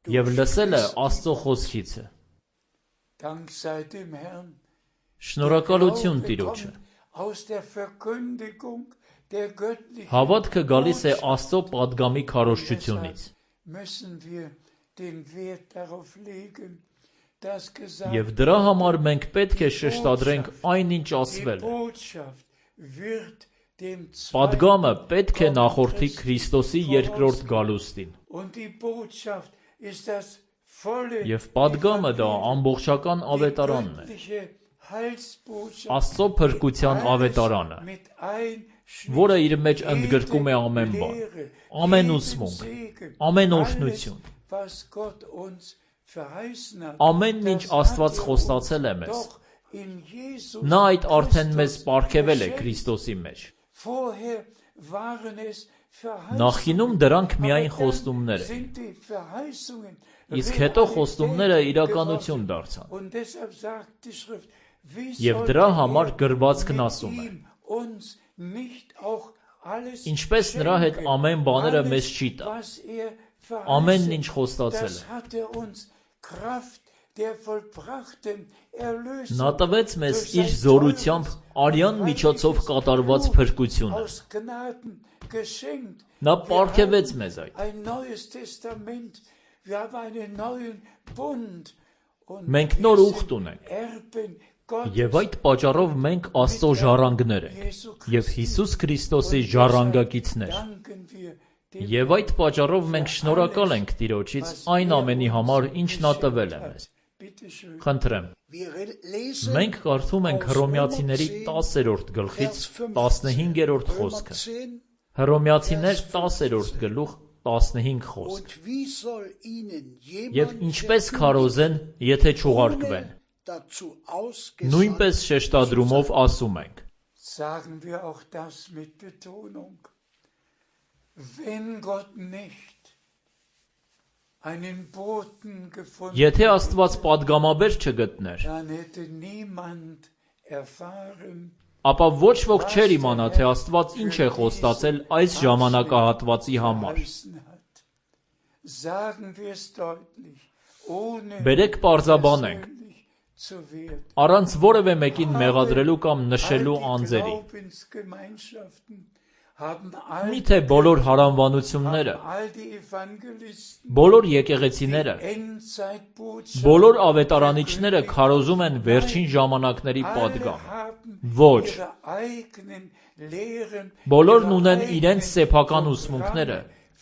և լսելը Աստծո խոսքից է։ Dank sei dem Herrn. Շնորհակալություն Տիրոջը։ Aus der Verkündigung der göttlichen Հավատքը գալիս է Աստծո պատգամի քարոզչությունից։ müssen wir den Wert darauf legen, dass gesagt Եվ դրա համար մենք պետք է շեշտադրենք այնինչ ասվել է։ Botschaft wird dem Պատգամը պետք է նախորդի Քրիստոսի երկրորդ գալուստին։ und die Botschaft ist das volle Եվ պատգամը դա ամբողջական ավետարանն է։ göttliche Heilsbotschaft Աստծո փրկության ավետարանը, mit ein որը իր մեջ ընդգրկում է ամեն բան, ամեն ուսմունք, ամեն օրհնություն, was Gott uns verheißen hat. ամեն ինչ Աստված խոստացել է մեզ։ Doch in Jesus Նա այդ արդեն մեզ պարգևել է Քրիստոսի մեջ։ vorher waren es Նախինում դրանք միայն խոստումներ են, sind die Verheißungen իսկ հետո խոստումները իրականություն դարձան։ und deshalb sagt die Schrift wie Եվ դրա համար գրվածքն ասում է. uns nicht auch alles Ինչպես նրա հետ ամեն բաները մեզ չի տա, was ամենն ինչ խոստացել das է։ hat uns Kraft der vollbrachten Erlösung Նա տվեց մեզ իր զորությամբ արյան միջոցով կատարված փրկությունը։ aus Gnaden geschenkt. Նա պարգևեց մեզ այդ։ Ein neues Testament, wir haben einen neuen Bund und Մենք նոր ուխտ ունենք։ erben Gottes Եվ այդ պատճառով մենք Աստծո ժառանգներ ենք եւ Հիսուս Քրիստոսի ժառանգակիցներ։ danken wir dem Եվ այդ պատճառով մենք շնորհակալ ենք Տիրոջից այն ամենի համար, ինչ նա տվել է մեզ։ Bitte schön. Խնդրեմ, Wir lesen մենք կարդում ենք Հռոմեացիների 10-րդ գլխից 15-րդ խոսքը։ 10. Հռոմեացիներ 10-րդ գլուխ 15 խոսք։ Und wie soll ihnen Եվ jemand ինչպես քարոզեն, եթե չուղարկվեն։ dazu ausgesandt Նույնպես շեշտադրումով ասում ենք. Sagen wir auch das mit Betonung. Wenn Gott nicht einen Boten gefunden Եթե Աստված պատգամաբեր չգտներ, dann hätte niemand erfahren, ապա ոչ ոք չէր իմանա, թե Աստված ինչ է խոստացել այս ժամանակահատվածի համար։ verheißen hat. Sagen wir es deutlich, ohne Բերեք պարզաբանենք, persönlich zu werden. առանց որևէ մեկին մեղադրելու կամ նշելու All die անձերի։ Glaubensgemeinschaften haben all Միթե բոլոր հարանվանությունները, all die Evangelisten բոլոր եկեղեցիները, Endzeitbotschaft բոլոր ավետարանիչները քարոզում են վերջին ժամանակների պատգամ։ Ոչ, ihre eigenen Lehren, բոլորն ունեն իրենց սեփական ուսմունքները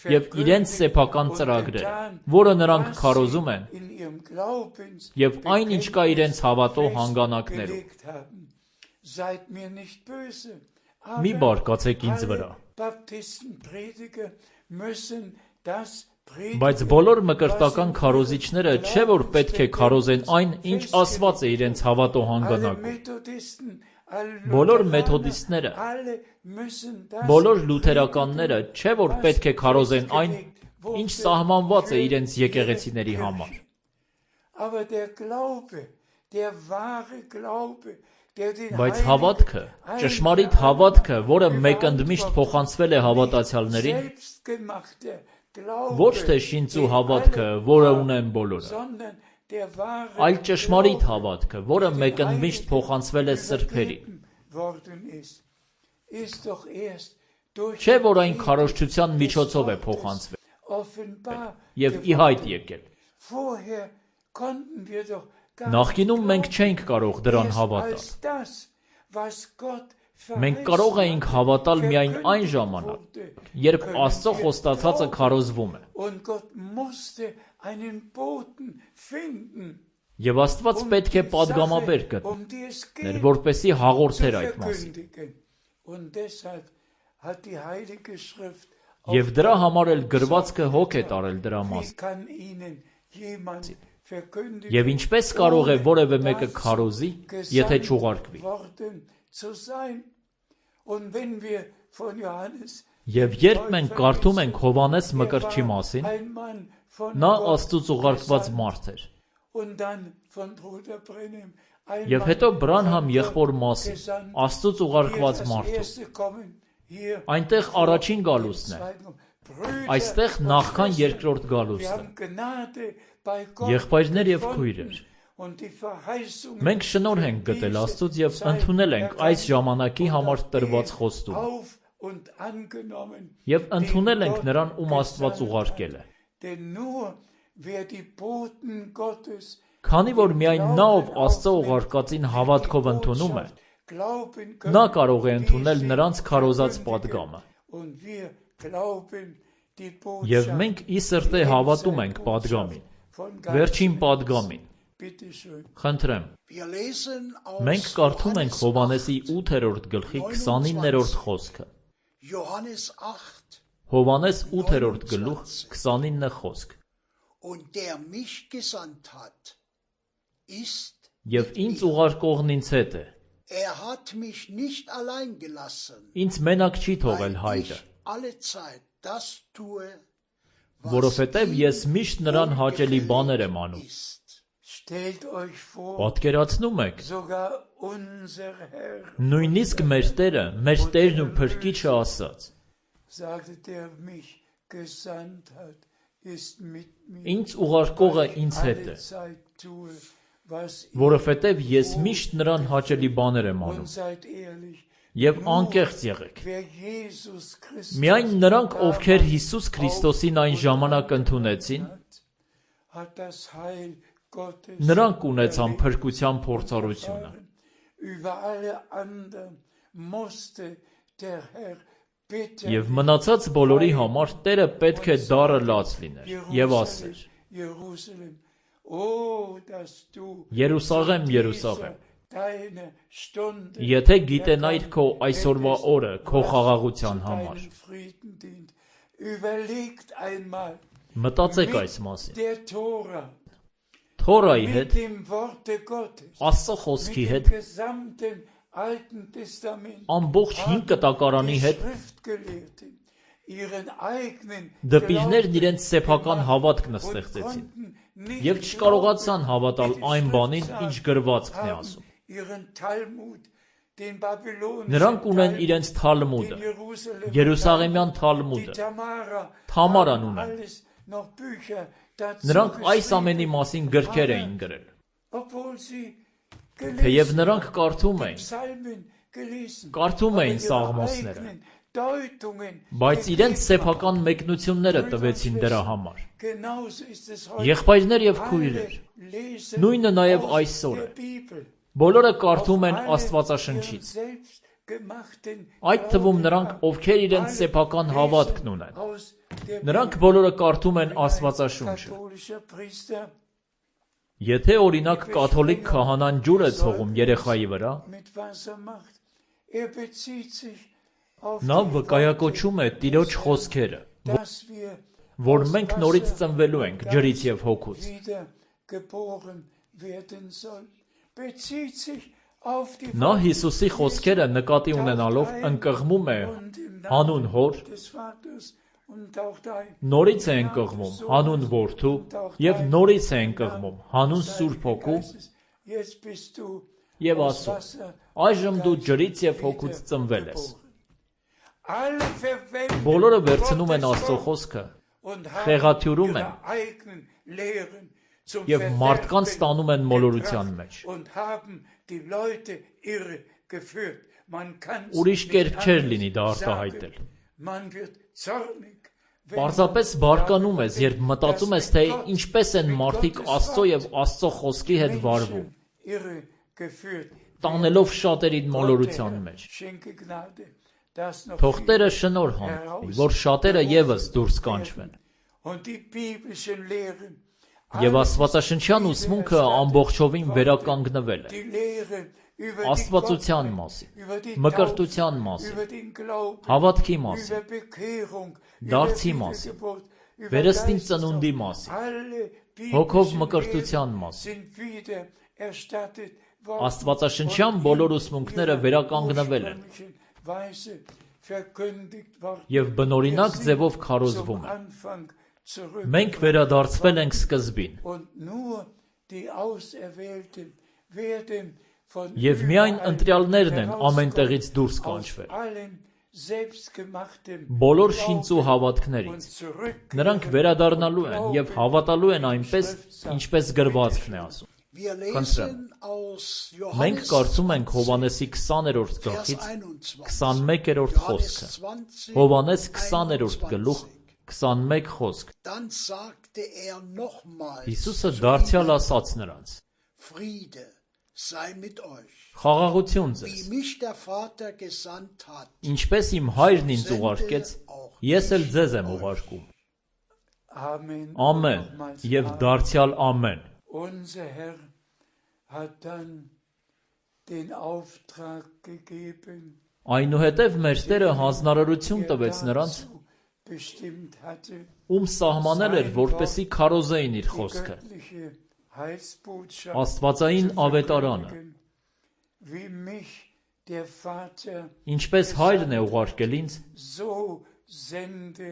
եւ իրենց սեփական ծրագրերը, որը նրանք քարոզում են, in ihrem Glaubens եւ այն ինչ կա իրենց հավատո հանգանակներում։ gelegt haben. Seid mir nicht böse. Մի բարկացեք ինձ վրա։ Baptistenprediger müssen das predigen. Բայց բոլոր մկրտական քարոզիչները չէ որ պետք է քարոզեն այն, ինչ ասված է իրենց հավատո Alle հանգանակում։ Methodisten, alle Բոլոր Lutheraner, մեթոդիստները, alle müssen das բոլոր լութերականները չէ որ պետք է քարոզեն այն, ինչ սահմանված է իրենց եկեղեցիների համար։ Aber der Glaube, der wahre Glaube, der den Բայց Heiligen հավատքը, ճշմարիտ հավատքը, որը մեկընդմիշտ փոխանցվել է հավատացյալներին, selbstgemachte Glaube, ոչ թե շինծու հավատքը, որը ունեն բոլորը, sondern der wahre այլ ճշմարիտ հավատքը, որը մեկընդմիշտ փոխանցվել է սրբերին։ worden ist doch erst durch Չէ որ այն քարոզչության միջոցով է փոխանցվել offenbar եւ ի հայտ եկել։ vorher konnten wir doch gar Նախկինում մենք չէինք կարող դրան հավատալ։ als das was Gott Մենք կարող էինք հավատալ միայն այն ժամանակ, երբ Աստծո խոստացածը քարոզվում է։ und Gott musste einen Boten finden, Եվ Աստված պետք է պատգամաբեր գտներ, die es geht, որպեսզի հաղորդեր zu այդ մասին։ verkündigen. Und deshalb hat die Heilige Schrift Եվ դրա համար էլ գրվածքը հոգ է տարել դրա wie մասին։ kann ihnen jemand verkündigen, Եվ ինչպես կարող է որևէ մեկը քարոզի, եթե չուղարկվի։ worden zu sein. Und wenn wir von Johannes Եվ երբ մենք կարդում ենք Հովանես Մկրտչի մասին, ein Mann von նա Gott Աստծուց ուղարկված մարդ էր։ und dann von Bruder Brenhem ein Եվ Mann հետո Բրանհամ von եղբոր Gott մասին, gesandt. Աստծուց Hier ուղարկված das մարդու։ erste Kommen, hier Այնտեղ առաջին գալուստն է, zweiten Kommen. Brüder այստեղ und նախքան Schwestern, երկրորդ wir գալուստը։ haben Gnade bei Gott Եղբայրներ եւ gefunden. քույրեր, Մենք շնորհ ենք գտել Աստծուց եւ ընդունել ենք այս ժամանակի համար տրված խոստումը։ Եվ ընդունել ենք նրան, ում Աստված ուղարկել է։ Քանի որ միայն նա, ով Աստծո ուղարկածին հավատքով ընդունում է, նա կարող է ընդունել նրանց քարոզած պատգամը։ Եվ մենք ի սրտե հավատում ենք պատգամին, վերջին պատգամին։ Խնդրեմ, մենք կարդում ենք Հովհաննեսի 8-րդ գլխի 29-րդ խոսքը։ Հովհաննես 8-րդ գլուխ 29 խոսք։ Եվ ինձ ուղարկողն ինձ հետ է։ Ինձ մենակ չի թողել Հայրը, որովհետև ես միշտ նրան հաճելի բաներ եմ անում։ Պատկերացնում եք, նույնիսկ մեր Տերը, մեր Տերն ու Փրկիչը ասաց. Ինձ ուղարկողը ինձ հետ է, որովհետև ես միշտ նրան հաճելի բաներ եմ անում։ Եվ անկեղծ եղեք։ Միայն նրանք, ովքեր Հիսուս Քրիստոսին այն ժամանակ ընդունեցին, նրանք ունեցան փրկության փորձառությունը։ Եվ մնացած բոլորի համար Տերը պետք է դառը լաց լիներ եւ ասեր. Երուսաղեմ, Երուսաղեմ, եթե գիտենայիր քո այսօրվա օրը քո խաղաղության համար։ Մտածեք այս մասին։ Թորայի հետ, Աստծո խոսքի հետ, ամբողջ 5 կտակարանի հետ, դպիրներն իրենց սեփական հավատքն ստեղծեցին եւ չկարողացան հավատալ այն բանին, ինչ գրվածքն է ասում։ Նրանք ունեն իրենց Թալմուդը, Երուսաղեմյան Թալմուդը, Թամարան ունեն։ Նրանք այս ամենի մասին գրքեր էին գրել։ Թեև նրանք կարդում էին Սաղմոսները, բայց իրենց սեփական մեկնությունները տվեցին դրա համար։ Եղբայրներ եւ քույրեր, նույնը նաեւ այսօր է։ Բոլորը կարդում են Աստվածաշնչից։ Այդ թվում նրանք, ովքեր իրենց սեփական հավատքն ունեն։ Նրանք բոլորը կարդում են Աստվածաշունչը։ Եթե օրինակ կաթոլիկ քահանան ջուր է ցողում երեխայի վրա, նա վկայակոչում է Տիրոջ խոսքերը, որ մենք նորից ծնվելու ենք ջրից եւ հոգուց։ Նա Հիսուսի խոսքերը նկատի ունենալով ընկղմում է հանուն Հոր, նորից է ընկղմում հանուն Որդու եւ նորից է ընկղմում հանուն Սուրբ Հոգու եւ ասում. այժմ դու ջրից եւ հոգուց ծնվել ես։ Բոլորը վերցնում են Աստծո խոսքը, խեղաթյուրում են եւ մարդկանց տանում են մոլորության մեջ։ Ուրիշ կերպ չէր լինի դա արտահայտել։ Պարզապես բարկանում ես, երբ մտածում ես, թե ինչպես են մարդիկ Աստծո եւ Աստծո խոսքի հետ վարվում, տանելով շատերին մոլորության մեջ։ Թող Տերը շնորհ հանի, որ շատերը եւս դուրս կանչվեն։ Եվ Աստվածաշնչյան ուսմունքը ամբողջովին վերականգնվել է։ Աստվածության մասին, մկրտության մասին, հավատքի մասին, դարձի մասին, վերստին ծնունդի մասին, հոգով մկրտության մասին։ Աստվածաշնչյան բոլոր ուսմունքները վերականգնվել են եւ բնօրինակ ձևով քարոզվում են։ Մենք վերադարձվել ենք սկզբին։ Եվ միայն ընտրյալներն են ամեն տեղից դուրս կանչվել։ Բոլոր շինծու հավատքներից նրանք վերադառնալու են եւ հավատալու են այնպես, ինչպես գրվածքն է ասում։ Wir Խնդրեմ։ lesen aus Մենք Johannes կարդում ենք Հովանեսի 20-րդ Vers գլխից 21. 21-րդ Johannes խոսքը։ 20, Հովանես 20-րդ գլուխ 21. 21 խոսք։ Dann sagte nochmals Հիսուսը zu դարձյալ ihnen, ասաց նրանց. Friede sei mit euch. Խաղաղություն ձեզ։ Wie mich der Vater gesandt hat, Ինչպես իմ հայրն ինձ ուղարկեց, ես էլ ձեզ եմ ուղարկում։ Amen. Ամեն եւ դարձյալ ամեն։ Unser Herr hat dann den Auftrag gegeben, Այնուհետև մեր Տերը հանձնարարություն տվեց նրանց, dazu bestimmt hatte, ում սահմանել էր, որպեսի քարոզեին իր die խոսքը, göttliche Heilsbotschaft Աստվածային zu ավետարանը, verkündigen, wie mich der Vater, ինչպես հայրն է ուղարկել ինձ, so sende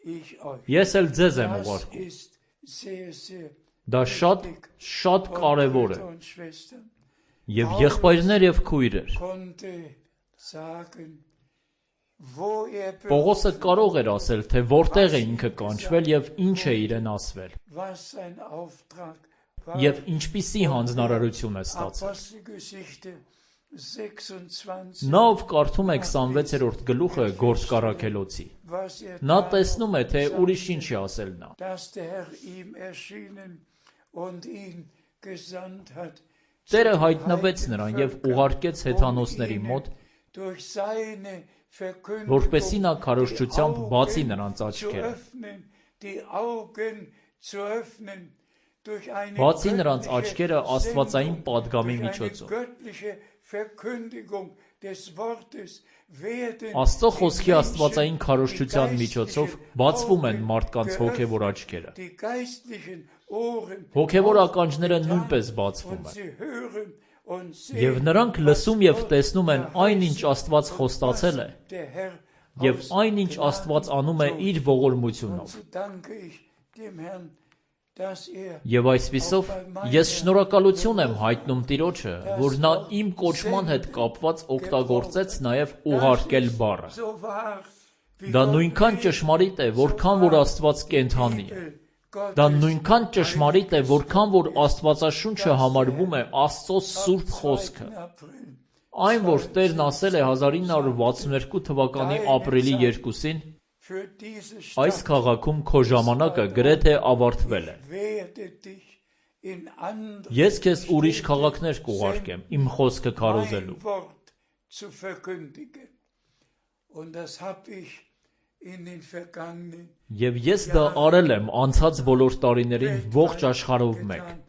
ich euch. ես էլ ձեզ եմ Das ուղարկում։ ist sehr, sehr Դա շատ կարևոր է։ Brüder und Schwestern, Եվ եղբայրներ եւ քույրեր, konnte sagen, wo Պողոսը կարող էր ասել, թե որտեղ է ինքը կանչվել եւ ինչ է իրեն ասվել, was sein Auftrag war. եւ ինչպիսի հանձնարարություն է ստացել։ Apostelgeschichte 26, Նա ով կարդում է 26-րդ գլուխը Գործկառաքելոցի, was նա տեսնում է, թե ուրիշ ինչ է ասել նա։ dass der Herr ihm erschienen und ihn gesandt hat, Տերը հայտնվեց նրան եւ ուղարկեց հեթանոսների մոտ, durch seine Verkündigung որպեսզի նա քարոզչությամբ բացի նրանց zu աչքերը, öffnen, die Augen zu öffnen, durch eine բացի նրանց göttliche աչքերը աստվածային Sendung, պատգամի durch eine միջոցով։ göttliche Verkündigung des Wortes werden Աստծո die խոսքի աստվածային Menschen, քարոզչության die միջոցով geistlichen բացվում են Augen մարդկանց հոգևոր geöffnet, աչքերը։ die geistlichen Ohren Հոգևոր ականջները aufgetan, նույնպես բացվում und են։ sie hören und sehen, Եվ նրանք լսում եւ տեսնում են այն, ինչ Աստված խոստացել է, der Herr եւ aus այն, ինչ Աստված անում է իր Und ողորմությունով։ so danke ich dem Herrn, dass Եվ այսպիսով ես շնորհակալություն եմ հայտնում Տիրոջը, որ նա իմ կոչման հետ կապված օգտագործեց նաեւ ուղարկել բառը։ so war, wie Դա Gott նույնքան will, ճշմարիտ է, որքան որ Աստված կենդանի է։ Gottes Դա նույնքան ճշմարիտ է, որքան որ Աստվածաշունչը համարվում է Աստծո սուրբ խոսքը։ 2. April Այն, որ Տերն ասել է 1962 թվականի ապրիլի 2-ին, für diese այս Stadt քաղաքում քո ժամանակը գրեթե ավարտվել է։ werde dich in andere Ես քեզ ուրիշ քաղաքներ կուղարկեմ իմ խոսքը քարոզելու։ mein Wort zu verkündigen. Und das habe ich in den vergangenen Եվ ես դա արել եմ անցած բոլոր տարիներին ողջ աշխարհով մեկ։ getan.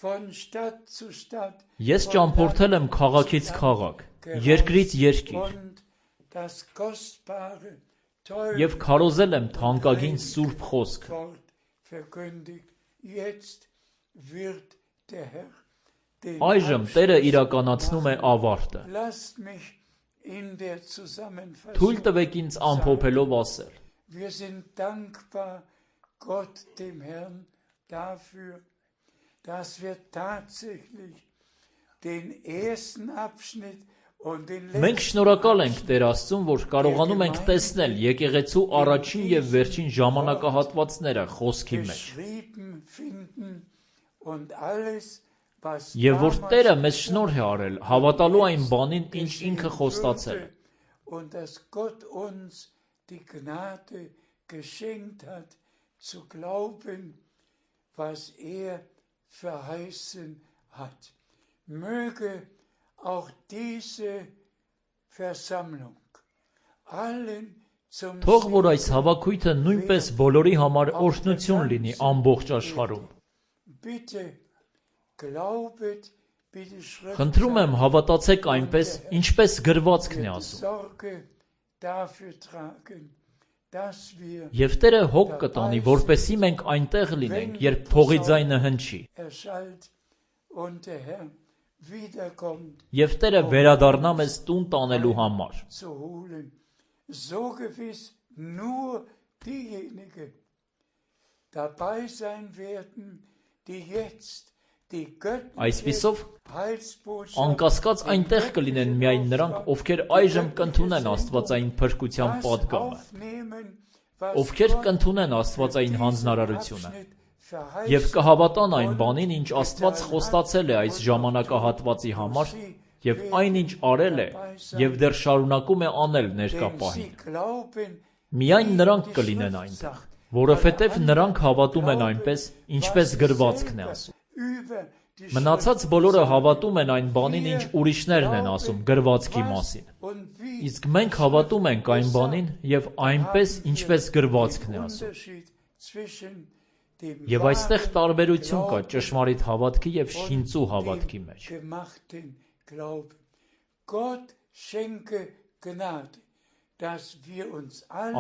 Von Stadt zu Stadt, Ես von ճամփորդել եմ Land zu քաղաքից Land քաղաք, gereist երկրից երկիր, und das kostbare, teure եւ քարոզել եմ թանկագին սուրբ խոսքը։ Wort verkündigt. Jetzt wird der Herr den Այժմ Տերը իրականացնում է ավարտը։ Lasst mich in der Zusammenfassung Թույլ տվեք ինձ ամփոփելով ասել. Wir sind dankbar Gott, dem Herrn, dafür, dass wir tatsächlich den ersten Abschnitt und den Մենք letzten շնորհակալ ենք Տեր Աստծուն, որ կարողանում ենք տեսնել եկեղեցու առաջին եւ վերջին ժամանակահատվածները խոսքի մեջ, geschrieben finden und alles, was եւ որ damals Տերը մեզ շնորհ է արել հավատալու այն բանին, ինչ ինքը խոստացել է, und dass Gott uns die Gnade geschenkt hat, zu glauben, was verheißen hat. Möge auch diese Versammlung allen zum Թող որ այս հավաքույթը նույնպես բոլորի համար օրհնություն լինի ամբողջ աշխարհում։ Bitte glaubet, bitte Schrift Խնդրում եմ հավատացեք այնպես, ինչպես գրվածքն է ասում։ Sorge dafür tragen, dass wir Եվ Տերը հոգ կտանի, որպեսզի մենք այնտեղ լինենք, երբ փողի ձայնը հնչի, erschallt und der Herr wiederkommt եւ Տերը վերադառնա մեզ տուն տանելու համար։ zu holen. So gewiss nur diejenigen dabei sein werden, die jetzt die göttliche Այսպիսով Heilsbotschaft անկասկած այնտեղ կլինեն միայն նրանք, ովքեր այժմ կընդունեն Աստվածային փրկության պատգամը, aufnehmen, was ովքեր Gott կընդունեն Աստվածային diesen հանձնարարությունը, Abschnitt Եվ կհավատան այն բանին, ինչ Աստված խոստացել է այս ժամանակահատվածի համար, և այն ինչ արել է, և դեռ շարունակում է անել ներկա պահին։ Միայն նրանք կլինեն այնտեղ, որովհետև նրանք հավատում են այնպես, ինչպես գրվածքն է ասում։ Մնացած բոլորը հավատում են այն բանին, ինչ ուրիշներն են ասում գրվածքի մասին։ Իսկ մենք հավատում ենք այն բանին և այնպես, ինչպես գրվածքն է ասում։ Եվ այստեղ տարբերություն կա ճշմարիտ հավատքի և շինծու հավատքի մեջ։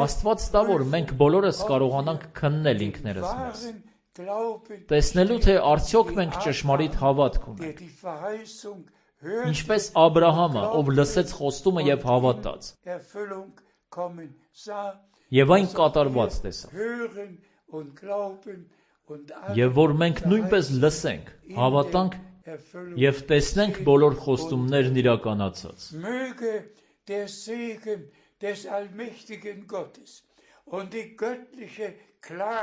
Աստված տա, որ մենք բոլորս կարողանանք քննել ինքներս մեզ, տեսնելու, թե արդյոք մենք ճշմարիտ հավատք ունենք, ինչպես Աբրահամը, ով լսեց խոստումը և հավատաց, և այն կատարված տեսավ։ Եվ որ մենք նույնպես լսենք, հավատանք և տեսնենք բոլոր խոստումներն իրականացած։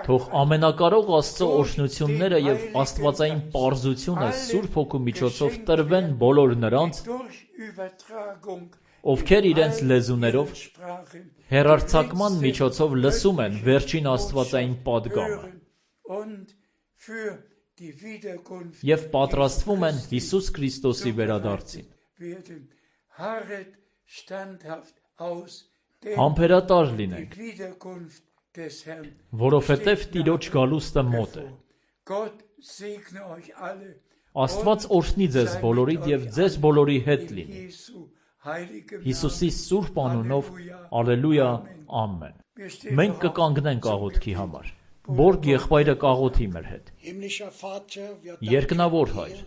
Թող ամենակարող Աստծո օրհնությունները և աստվածային պարզությունը Սուրբ Հոգու միջոցով տրվեն բոլոր նրանց, ովքեր իրենց լեզուներով հեռարձակման միջոցով լսում են վերջին աստվածային պատգամը և պատրաստվում են Հիսուս Քրիստոսի վերադարձին։ Համբերատար լինենք, որովհետև Տիրոջ գալուստը մոտ է։ Աստված օրհնի ձեզ բոլորիդ և ձեզ բոլորի հետ լինի։ Հիսուսի սուրբ անունով, ալելույա, ամեն։ Մենք կկանգնենք աղոթքի համար։ Բորգ եղբայրը կաղոթի մեր հետ։ Երկնավոր Հայր,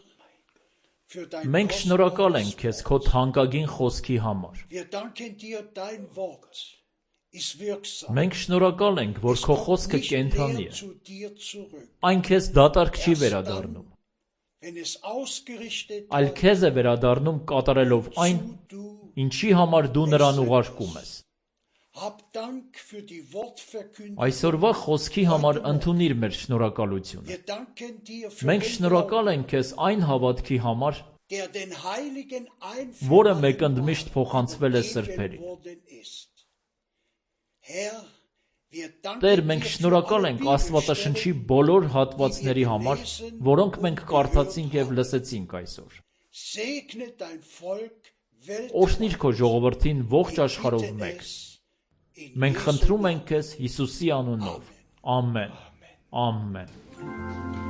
մենք շնորհակալ ենք Քեզ Քո թանկագին խոսքի համար։ Մենք շնորհակալ ենք, որ Քո խոսքը կենդանի է։ Այն Քեզ դատարկ չի վերադառնում, այլ Քեզ է վերադառնում կատարելով այն, ինչի համար Դու նրան ուղարկում ես։ Այսօրվա խոսքի համար ընդունիր մեր շնորհակալությունը։ Մենք շնորհակալ ենք Քեզ այն հավատքի համար, որը մեկընդմիշտ փոխանցվել է սրբերին։ Տեր, մենք շնորհակալ ենք Աստվածաշնչի բոլոր հատվածների համար, որոնք մենք կարդացինք և լսեցինք այսօր։ Օրհնիր Քո ժողովրդին ողջ աշխարհով մեկ։ Մենք խնդրում ենք Քեզ Հիսուսի անունով։ Ամեն։ Ամեն։